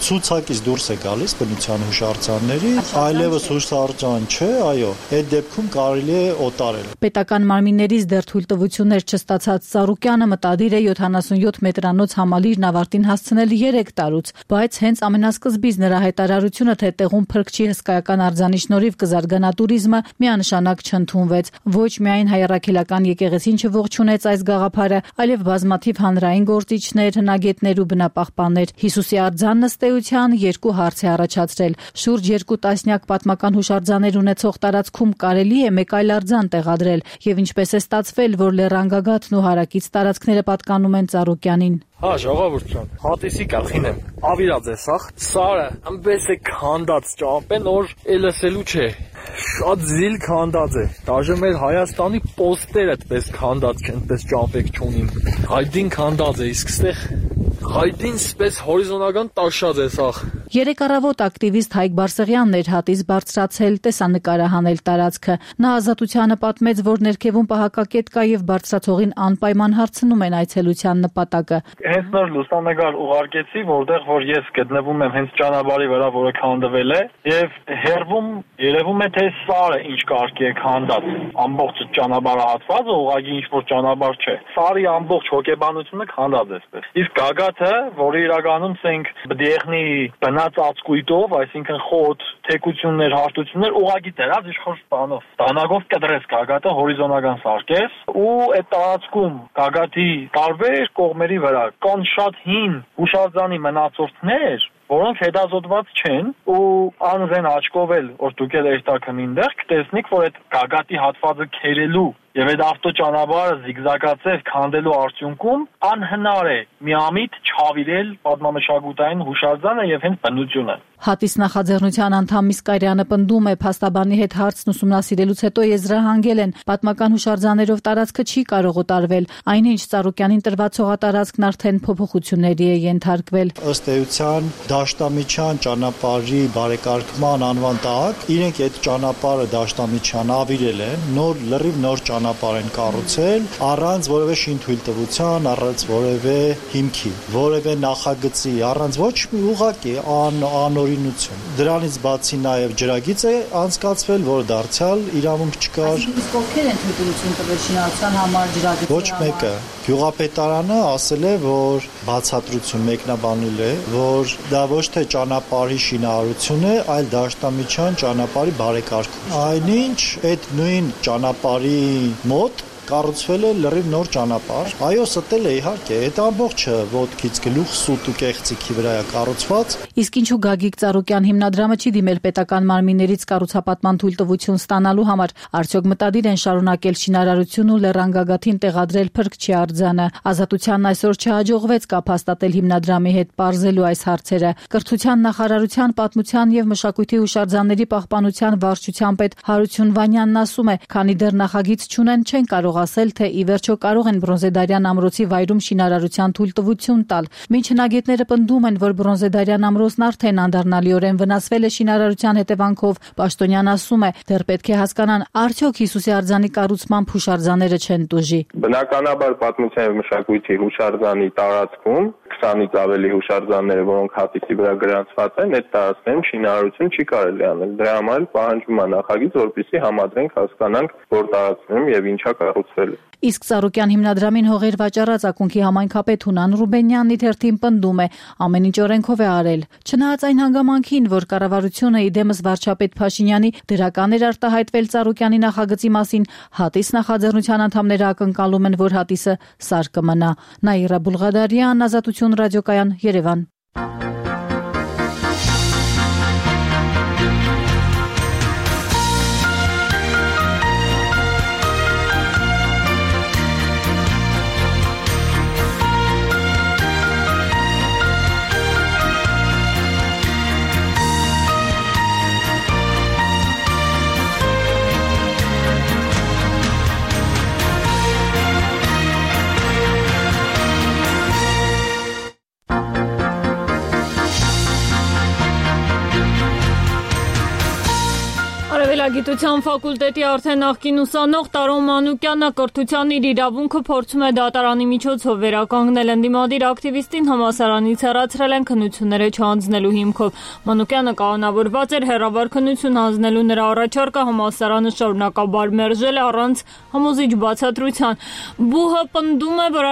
S5: ցուցակից դուրս է գալիս բնության հուշարձանների, այլևս հուշարձան չէ, այո, այդ դեպքում կարելի է օտարել։
S4: Պետական մարմիններից դեռ թույլտվություններ չստացած Ծառուկյանը մտադիր է յոթանասունյոթ մետրանոց համալիրն ավարտին հասցնել երեք տարուց, բայց հենց ամենասկզբից նրա հայտարարությունը, թե տեղում փրկչի հսկայական արձանի շնորհիվ կզարգանա տուրիզմը, միանշանակ չընդունվեց։ Ոչ միայն հայրաքելական եկեղեցին չողջունեց այս գաղափարը, այլև բազմաթիվ հանրային գործիչներ, հնագետներ ու բնապահպաններ։ Հիսուսի արձանն ըստ էության երկու հարց է առաջացրել։ Շուրջ երկու տասնյակ պատմական հուշարձաններ ունեցող տարածքում կարելի է մեկ այլ արձան տեղադրել, եւ ինչպես է ստացվել, որ լեռան գագաթն ու հարակից տարածքները պատկանում են Ծառուկյանին։
S24: Հա, ժողովուրդ ջան, Հատիսի գլխին եմ։ Ավիրած է սախ, սարը, ամբես է քանդած ճամպեն, որ էլսելու չէ։ Շատ զիլ քանդած է։ Դաժե մեր Հայաստանի պոստերը այդպես քանդած չեն, այդպես ճամպեք չունին։ Հայդին քանդած է, իսկ ստեղ հայդին սպես հորիզոնական տաշած է սախ։
S4: Երեք առավոտ ակտիվիստ Հայկ Բարսեղյանն էր Հատիս բարձրացել, տեսանկարահանել տարածքը։ Նա Ազատությանը պատմեց, որ ներքևում պահակակետ կա եւ բարձրացողին անպայման հարցնում են այցելության նպատակը։
S22: Հենց նոր լուսանկար ուղարկեցի, որտեղ որ ես գտնվում եմ հենց ճանապարհի վրա, որը քանդվել է, եւ հերվում երևում է թե սարը ինչ կարգի է քանդած։ Ամբողջ ճանապարհահատվածը ուղղակի ինչ որ ճանապարհ չէ։ Սարի ամբողջ հոգեբանությունը քանդած է այդպես։ Իսկ գագաթը, որը իրականում ցենք բդիեխնի ծածկույթով, այսինքն խոտ, թեկություններ, հարտություններ ուղղակի դրած իշխոր բանով։ Տանագով կդրես գագաթը հորիզոնական սարքես ու այդ տարածքում գագաթի տարբեր կողմերի վրա կան շատ հին հուշարձանի մնացորդներ, որոնք հետազոտված չեն ու անզեն աչքով էլ որ դուք էլ երթակն ինտեղ կտեսնիք, որ այդ գագաթի հատվածը քերելու եւ այդ ավտոճանապարհը զիգզագացել քանդելու արդյունքում անհնար է միամիտ չավիրել պատմամշակութային հուշարձանը եւ հենց բնությունը։
S4: Հատիս նախաձեռնության անդամ Միսկարյանը պնդում է, փաստաբանի հետ հարցն ուսումնասիրելուց հետո եզրահանգել են, պատմական հուշարձաներով տարածքը չի կարող օտարվել, այնինչ Ծառուկյանին տրված հողատարածքն արդեն փոփոխությունների է ենթարկվել։
S5: Ըստ էության Դաշտամիջյան ճանապարհի բարեկարգման անվան տակ իրենք այդ ճանապարհը Դաշտամիջյան ավիրել են, նոր լրիվ նոր ճանապարհ են կառուցել առանց որևէ շինթույլտվության, առանց որևէ հիմքի, որևէ նախագծի, առանց ոչ մի ուղղակի ան, անօրինություն։ Դրանից բացի նաև ջրագիծ է անցկացվել, որը դարձյալ իրավունք չկար։
S4: Իսկ ովքեր են թույլտվություն տվել շինարարության համար, ջրագծի
S5: Ոչ մեկը։ Գյուղապետարանը ասել է, որ բացատրություն մեկնաբանել է, որ դա ոչ թե ճանապարհի շինարարություն է, այլ դաշտամիջյան ճանապարհի բարեկարգում։ Այնինչ այդ նույն ճանապարհի մոտ կառուցվել է լրիվ նոր ճանապարհ։ Այո, ստել է իհարկե, այդ ամբողջը ոտքից գլուխ սուտ ու կեղծիքի վրա է կառուցված։
S4: Իսկ ինչու Գագիկ Ծառուկյան հիմնադրամը չի դիմել պետական մարմիններից կառուցապատման թույլտվություն ստանալու համար, արդյոք մտադիր են շարունակել շինարարություն ու լեռան գագաթին տեղադրել փրկչի արձանը։ Ազատությանն այսօր չհաջողվեց կապ հաստատել հիմնադրամի հետ պարզելու այս հարցերը։ Կրթության նախարարության պատմության եւ մշակույթի հուշարձանների պահպանության վարչության պետ Հարություն Վանյանն ասում է, քանի դեռ նախագիծ չունեն, չեն կարող ասել, թե ի վերջո կարող են Բրոնզեդարյան ամրոցի վայրում շինարարության թույլտվություն տալ։ Մինչ հնագետները պնդում են, որ Բրոնզեդարյան ամրոցն արդեն անդառնալիորեն վնասվել է շինարարության հետևանքով, Պաշտոնյան ասում է, դեռ պետք է հասկանան, արդյոք Հիսուսի արձանի կառուցմամբ հուշարձանները չեն տուժի։
S8: Բնականաբար պատմության եւ մշակույթի հուշարձանի տարածքում քսանից ավելի հուշարձանները, որոնք հատիսի վրա գրանցված են, այդ տարածքներում շինարարություն չի կարելի անել։ Դրա համար պահանջվում է նախագիծ, որպեսզի համադրենք, հասկանանք, որ տարածքներում եւ ինչա կառուցվել։
S4: Իսկ Ծառուկյան հիմնադրամին հողեր վաճառած ակունքի համայնքապետ Հունան Ռուբենյանն ի թերթին պնդում է, ամեն ինչ օրենքով է արել։ Չնայած այն հանգամանքին, որ կառավարությունը իդեմս վարչապետ Փաշինյանի դրական էր արտահայտվել Ծառուկյանի նախագծի մասին, հատիս նախաձեռնության անդամները ակնկալում են, որ հատիսը սար կմնա։ Նաիրա Բուլղադարյան, Ազատություն ռադիոկայան, Երևան։
S1: Գիտության ֆակուլտետի արդեն նախկին ուսանող Տարոն Մանուկյանը կրթության իր իրավունքը փորձում է դատարանի միջոցով վերականգնել։ Ընդդիմադիր ակտիվիստին համալսարանից հեռացրել են քննությունները չհանձնելու հիմքով։ Մանուկյանը կանոնավորված էր հեռավար քննություն հանձնելու, նրա առաջարկը համալսարանը շարունակաբար մերժել է առանց համոզիչ բացատրության։ Բուհը պնդում է, որ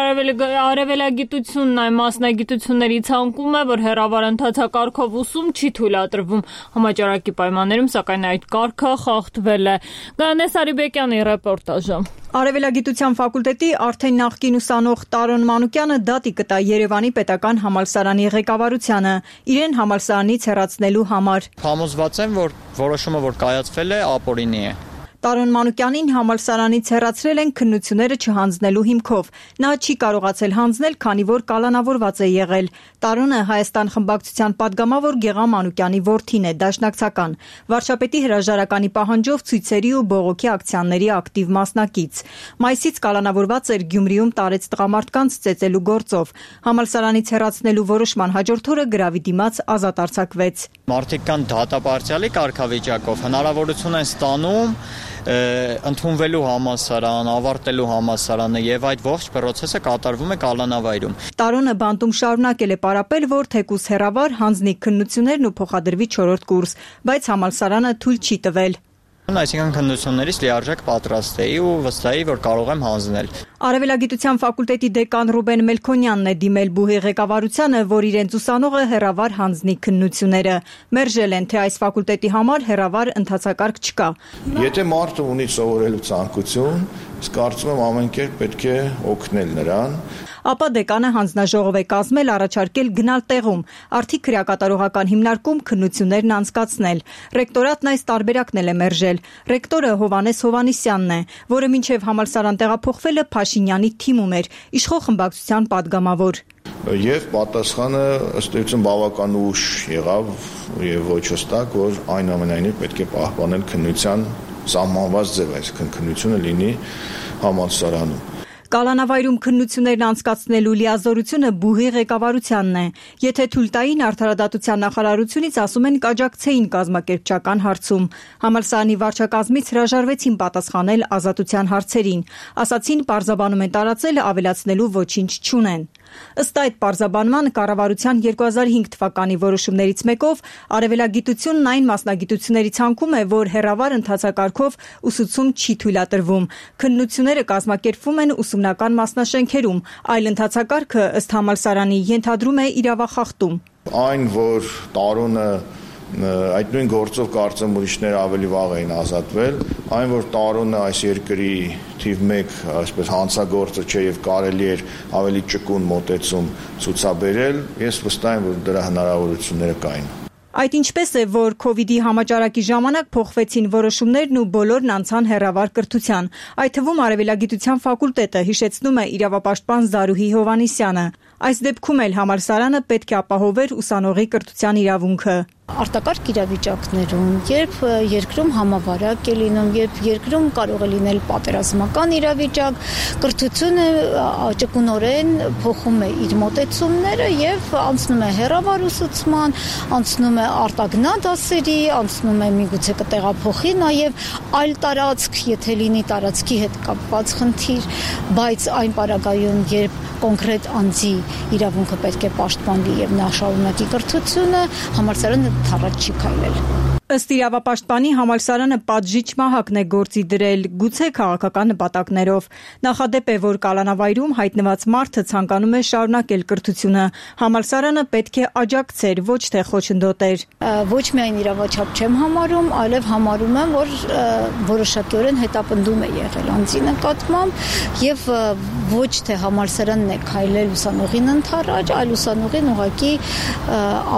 S1: արևելագիտությունն այն մասնագիտությունների ցանկում է, որ հեռավար ընթացակարգով ուսում չի թույլատրվում։ Համաճարակի պայմաններում, սակայն այդ կարգը խախտվել է։ Գայանե Սարիբեկյանի ռեպորտաժը։
S9: Արևելագիտության ֆակուլտետի արդեն նախկին ուսանող Տարոն Մանուկյանը դատի կտա Երևանի պետական համալսարանի ղեկավարությանը իրեն համալսարանից հեռացնելու համար։
S12: Համոզված եմ, որ որոշումը, որ կայացվել է, ապօրինի է։
S9: Տարոն Մանուկյանին համալսարանից հեռացրել են քննությունները չհանձնելու հիմքով։ Նա չի կարողացել հանձնել, քանի որ կալանավորված է եղել։ Տարոնը Հայաստան խմբակցության падգամավոր Գեղամ Մանուկյանի որդին է, դաշնակցական։ Վարչապետի հրաժարականի պահանջով ցույցերի ու բողոքի ակցիաների ակտիվ մասնակից։ Մայիսից կալանավորված էր Գյումրիում տարեց տղամարդկանց ծեծելու գործով։ Համալսարանից հեռացնելու որոշման հաջորդ օրը գրավի դիմաց ազատ արձակվեց։
S12: Մարդիկ կան դատապարտյալի կարգավիճակով, հնարավորություն են ստանում ընդունվելու համալսարան, ավարտելու համալսարանը եւ այդ ողջ process-ը կատարվում է կալանավայրում։
S9: Տարոնը բանտում շարունակել է պարապել, որ թեկուզ հեռավար հանձնի քննություններն ու փոխադրվի չորրորդ կուրս, բայց համալսարանը թույլ չի տվել։
S12: Այսինքն քննություններից լիարժեք պատրաստ էի ու վստահ էի, որ կարող եմ հանձնել։
S9: Արևելագիտության ֆակուլտետի դեկան Ռուբեն Մելքոնյանն է դիմել բուհի ղեկավարությանը, որ իրենց ուսանողը հեռավար հանձնի քննությունները։ Մերժել են, թե այս ֆակուլտետի համար հեռավար ընթացակարգ չկա։
S13: Եթե մարդը ունի սովորելու ցանկություն, իսկ կարծում եմ ամեն կերպ պետք է օգնել նրան։
S9: Ապա դեկանը հանձնաժողով է կազմել, առաջարկել գնալ տեղում, արդի քրեակատարողական հիմնարկում քննություններն անցկացնել։ Ռեկտորատն այս տարբերակն էլ է մերժել։ Ռեկտորը Հովանես Հովանիսյանն է, որը մինչև համալսարան տեղափոխվելը Փաշինյանի թիմում էր, իշխող խմբակցության падգամավոր։
S13: Եվ պատասխանը ըստ էության բավական ուշ եղավ եւ ոչ հստակ, որ այնուամենայնիվ պետք է պահպանել քննության սահմանված ձև, այսինքն քննությունը լինի համալսարանում։
S9: Կալանավայրում քննություններն անցկացնելու լիազորությունը բուհի ղեկավարությանն է։ Եթե թույլ տային, արդարադատության նախարարությունից ասում են կաջակցեին կազմակերպչական հարցում։ Համալսարանի վարչակազմից հրաժարվեցին պատասխանել ազատության հարցերին։ Ասացին պարզաբանում են տարածել, ավելացնելու ոչինչ չունեն։ Ըստ այդ պարզաբանման կառավարության երկու հազար հինգ թվականի որոշումներից մեկով արևելագիտությունն այն մասնագիտությունների ցանկում է, որ հեռավար ընթացակարգով ուսուցում չի թույլատրվում։ Քննությունները կազմակերպվում են ուսումնական մասնաշենքերում, այլ ընթացակարգը ըստ համալսարանի ենթադրում է իրավախախտում։
S13: Այն, որ տարոնը այդ նույն գործով կարծեմ ուրիշները ավելի վաղ էին ազատվել, այն որ տարոնը այս երկրի թիվ մեկ այսպես հանցագործը չէ եւ կարելի էր ավելի ճկուն մոտեցում ցուցաբերել, ես վստահ եմ, որ դրա հնարավորությունները կային։
S9: Այդ ինչպես է, որ քովիդի համաճարակի ժամանակ փոխվեցին որոշումներն ու բոլորն անցան հեռավար կրթության։ Այդ թվում արևելագիտության ֆակուլտետը, հիշեցնում է իրավապաշտպան Զարուհի Հովհաննիսյանը։ Այս դեպքում էլ համալսարանը պետք է ապահովեր ուսանողի կրթության իրավունքը։
S10: Արտակարգ իրավիճակներում, երբ երկրում համավարակ է լինում, երբ երկրում կարող է լինել պատերազմական իրավիճակ, կրթությունը ճկունորեն փոխում է իր մոտեցումները եւ անցնում է հեռավար ուսուցման, անցնում է արտագնա դասերի, անցնում է միգուցե կտեղափոխի նաեւ այլ տարածք, եթե լինի տարածքի հետ կապված խնդիր, բայց այն պարագայում, երբ կոնկրետ անձի իրավունքը պետք է պաշտպանվի եւ նա շարունակի կրթությունը, համալսարանը թառած չի քայլել։
S9: Ըստ իրավապաշտպանի համալսարանը պատժիչ մահակն է գործի դրել, գուցե քաղաքական նպատակներով։ Նախադեպ է, որ կալանավայրում հայտնված մարդը ցանկանում է շարունակել կրթությունը։ Համալսարանը պետք է աջակցեր, ոչ թե խոչընդոտեր։
S10: Ոչ միայն իրավաչափ չեմ համարում, այլև համարում եմ, որ որոշակիորեն հետապնդում է եղել անձի նկատմամբ եւ ոչ թե համալսարանն է քայլել ուսանողին ընդառաջ, այլ ուսանողին ուղղակի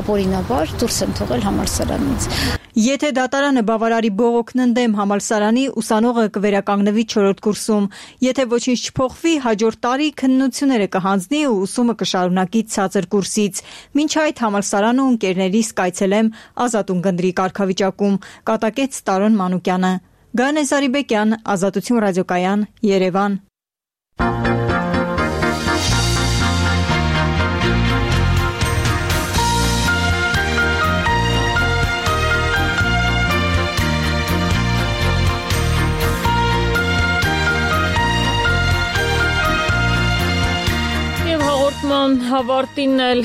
S10: ապօրինաբար դուրս են թողել համալսարանից։
S9: Եթե դատարանը բավարարի բողոքն ընդդեմ համալսարանի, ուսանողը կվերականգնվի չորրորդ կուրսում։ Եթե ոչինչ չփոխվի, հաջորդ տարի քննությունները կհանձնի ու ուսումը կշարունակի ցածր կուրսից։ Մինչ այդ համալսարանը ու ընկերներիս կայցելեմ Ազատ ունկնդրի կարգավիճակում, կատակեց Տարոն Մանուկյանը։ Գայանե Զարիբեկյան, Ազատություն ռադիոկայան, Երևան։
S1: Հավարտին էլ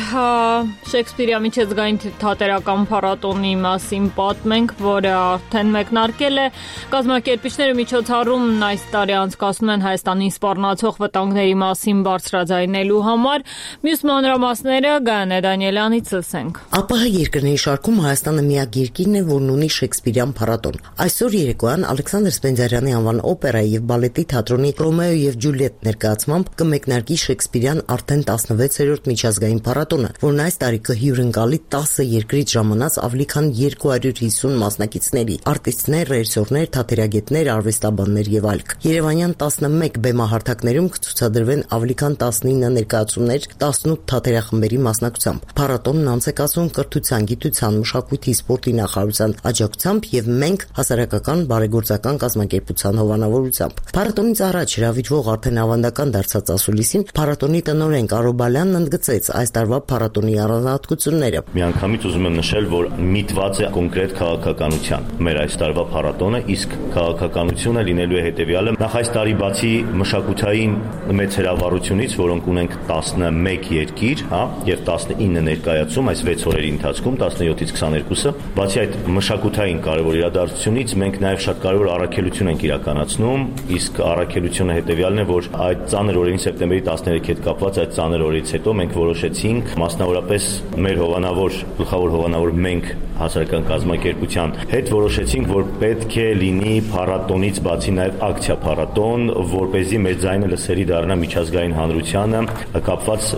S1: Շեքսպիրյա միջազգային թատերական փառատոնի մասին պատմենք, որը արդեն մեկնարկել է։ Կազմակերպիչները միջոցառումն այս տարի անցկացնում են Հայաստանին սպառնացող վտանգների մասին բարձրաձայնելու համար։ Մյուս մանրամասները Գայանե Դանիելյանից լսենք։
S11: ԱՊՀ երկրների շարքում Հայաստանը միակ երկիրն է, որն ունի Շեքսպիրյան փառատոն։ Այսօր երեկոյան Ալեքսանդր Սպենդիարյանի անվան օպերայի եւ բալետի թատրոնի Ռոմեո եւ Ջուլիետ ներկայացմամբ կմեկնարկի Շեքսպիրյան արդեն տասնվեցերորդ միջազգային փառատոնը, որն այս տարի կհյուրընկալի տասը երկրից ժամանած ավելի քան երկու հարյուր հիսուն մասնակիցների՝ արտիստներ, ռեժիսորներ, թատերագետներ, արվեստաբաններ եւ այլք։ Երևանյան տասնմեկ բեմահարթակներում կցուցադրվեն ավելի քան տասնինը ներկայացումներ տասնութ թատերախմբերի մասնակցությամբ։ Փառատոնն անց է կացվում կրթության, գիտության, մշակույթի, սպորտի նախարարության աջակցությամբ եւ մենք հասարակական բարեգործական կազմակերպության հովանավորությամբ։ Փառատոնից առաջ հրավիրվող արդեն ավանդական դարձած ասուլիսին փառատոնի տնօրեն Կարո Բալյանն ընդգծեց այս տարվա փառատոնի առանձնահատկությունները։
S14: Միանգամից ուզում եմ նշել, որ միտված է կոնկրետ քաղաքականության մեր այս տարվա փառատոնը, իսկ քաղաքականությունը լինելու է հետեւյալը. նախ այս տարի բացի մշակութային մեծ հրավառությունից, որոնք ունենք տասնմեկ երկիր, հա, եւ տասնինը ներկայացում այս վեց օրերի ընթացքում տասնյոթից քսաներկուսը, բացի այդ մշակութային կարևոր իրադարձությունից մենք նաեւ շատ կարևոր առաքելություն ենք իրականացնում, իսկ առաքելությունը հետեւյալն է, որ այդ ծանր օրերին սեպտեմբերի տասներեքի հետ կապված այդ ծանր օրից հետո մենք որոշեցինք մասնավորապես մեր հովանավոր գլխավոր հովանավոր մենք հասարակական կազմակերպության հետ որոշեցինք, որ պետք է լինի փառատոնից բացի նաև ակցիա փառատոն, որ เป զի մեր ձայնը լսելի դառնա միջազգային հանրությանը կապված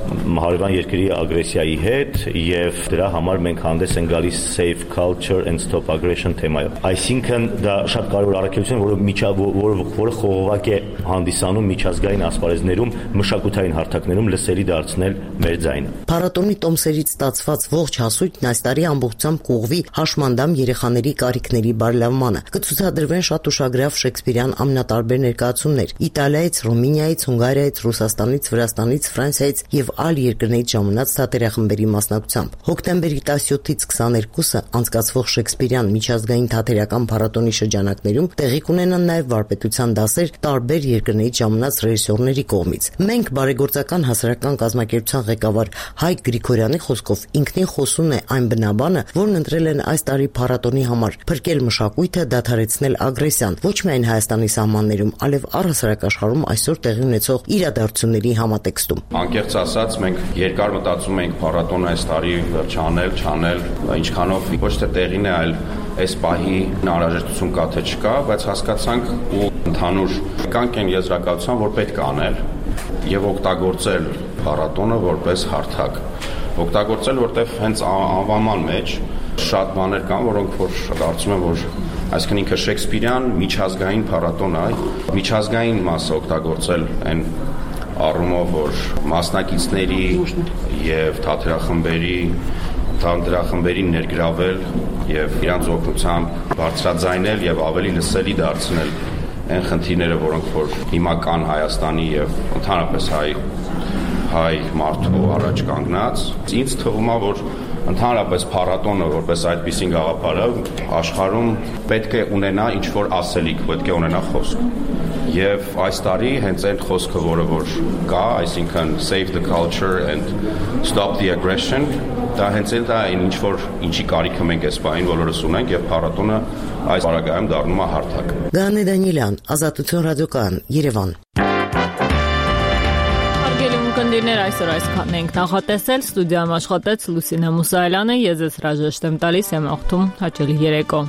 S14: հարևան երկրի ագրեսիայի հետ եւ դրա համար մենք հանդես ենք գալիս Safe Culture and Stop Aggression թեմայով։ Այսինքն դա շատ կարևոր առաքելություն, որը միջա որը որը խողովակ է հանդիսանում միջազգային ասպարեզներում մշակութային հարթակներում լսելի դարձնել մեր ձայնը։
S11: Փառատոնի տոմսերից ստացված ողջ հասույթն այս տարի ամբողջությամբ կուղղվի հաշմանդամ երեխաների կարիքների բարելավմանը։ Կցուցադրվեն շատ ուշագրավ շեքսպիրյան ամենատարբեր ներկայացումներ Իտալիայից, Ռումինիայից, Հունգարիայից, Ռուսաստանից, Վրաստանից, Ֆրանսիայից եւ այլ երկրներից ժամանած թատերախմբերի մասնակցությամբ։ Հոկտեմբերի տասնյոթից քսաներկուսը անցկացվող շեքսպիրյան միջազգային թատերական փառատոնի շրջանակներում տեղի կունենան նաեւ վարպետության դասեր տարբեր երկրներից ժամանած ռեժիսորների կողմից։ Մենք բարեգործական հասարակական կազմակերպության ղեկավար Հայկ Գրիգորյանի խոսքով ինքնին խոսուն է այն բնաբանը, որն ընտրել են այս տարի փառատոնի համար՝ փրկել մշակույթը, դադարեցնել ագրեսիան ոչ միայն Հայաստանի սահմաններում, այլև առհասարակ աշխարհում այսօր տեղի ունեցող իրադարձությունների համատեքստում։
S16: Անկեղծ ասած, մենք երկար մտածում ենք փառատոնը այս տարի չանել, չանել, ինչքանով ոչ թե տեղին է, այլ այս պահի անհրաժեշտություն կա թե չկա, բայց հասկացանք ու ընդհանուր կանք են եզրակացության, որ պետք է անել եւ օգտագործել փառատոնը որպես հարթակ։ Օգտագործել, որտեղ հենց անվանման մեջ շատ բաներ կան, որոնք որ դարձում են, որ այսինքն ինքը շեքսպիրյան միջազգային փառատոն է, միջազգային մասը օգտագործել այն առումով, որ մասնակիցների եւ թատերախմբերի թատերախմբերին ներգրավել եւ իրանց օգնությամբ բարձրաձայնել եւ ավելի լսելի դարձնել այն խնդիրները, որոնք որ հիմա կան Հայաստանի եւ ընդհանրապես հայ հայ մարդու առաջ կանգնած։ Ինձ թվում է, որ ընդհանրապես փառատոնը որպես այդպիսին գաղափարը աշխարհում պետք է ունենա ինչ-որ ասելիք, պետք է ունենա խոսք։ Եվ այս տարի հենց այդ խոսքը, որը որ կա, այսինքն save the culture and stop the aggression, դա հենց էլ դա այն ինչ-որ ինչի կարիքը մենք այս բանին բոլորս ունենք եւ փառատոնը այս բարագայում դառնում է հարթակ։
S11: Գանե Դանիելյան, Ազատություն ռադիոկայան, Երևան։
S1: Կնդիրներ այսօր այսքանն ենք նախատեսել, ստուդիայում աշխատեց Լուսինե Մուսայելյանը, ես ձեզ հրաժեշտ եմ տալիս, եմ աղթում հաճելի երեկո։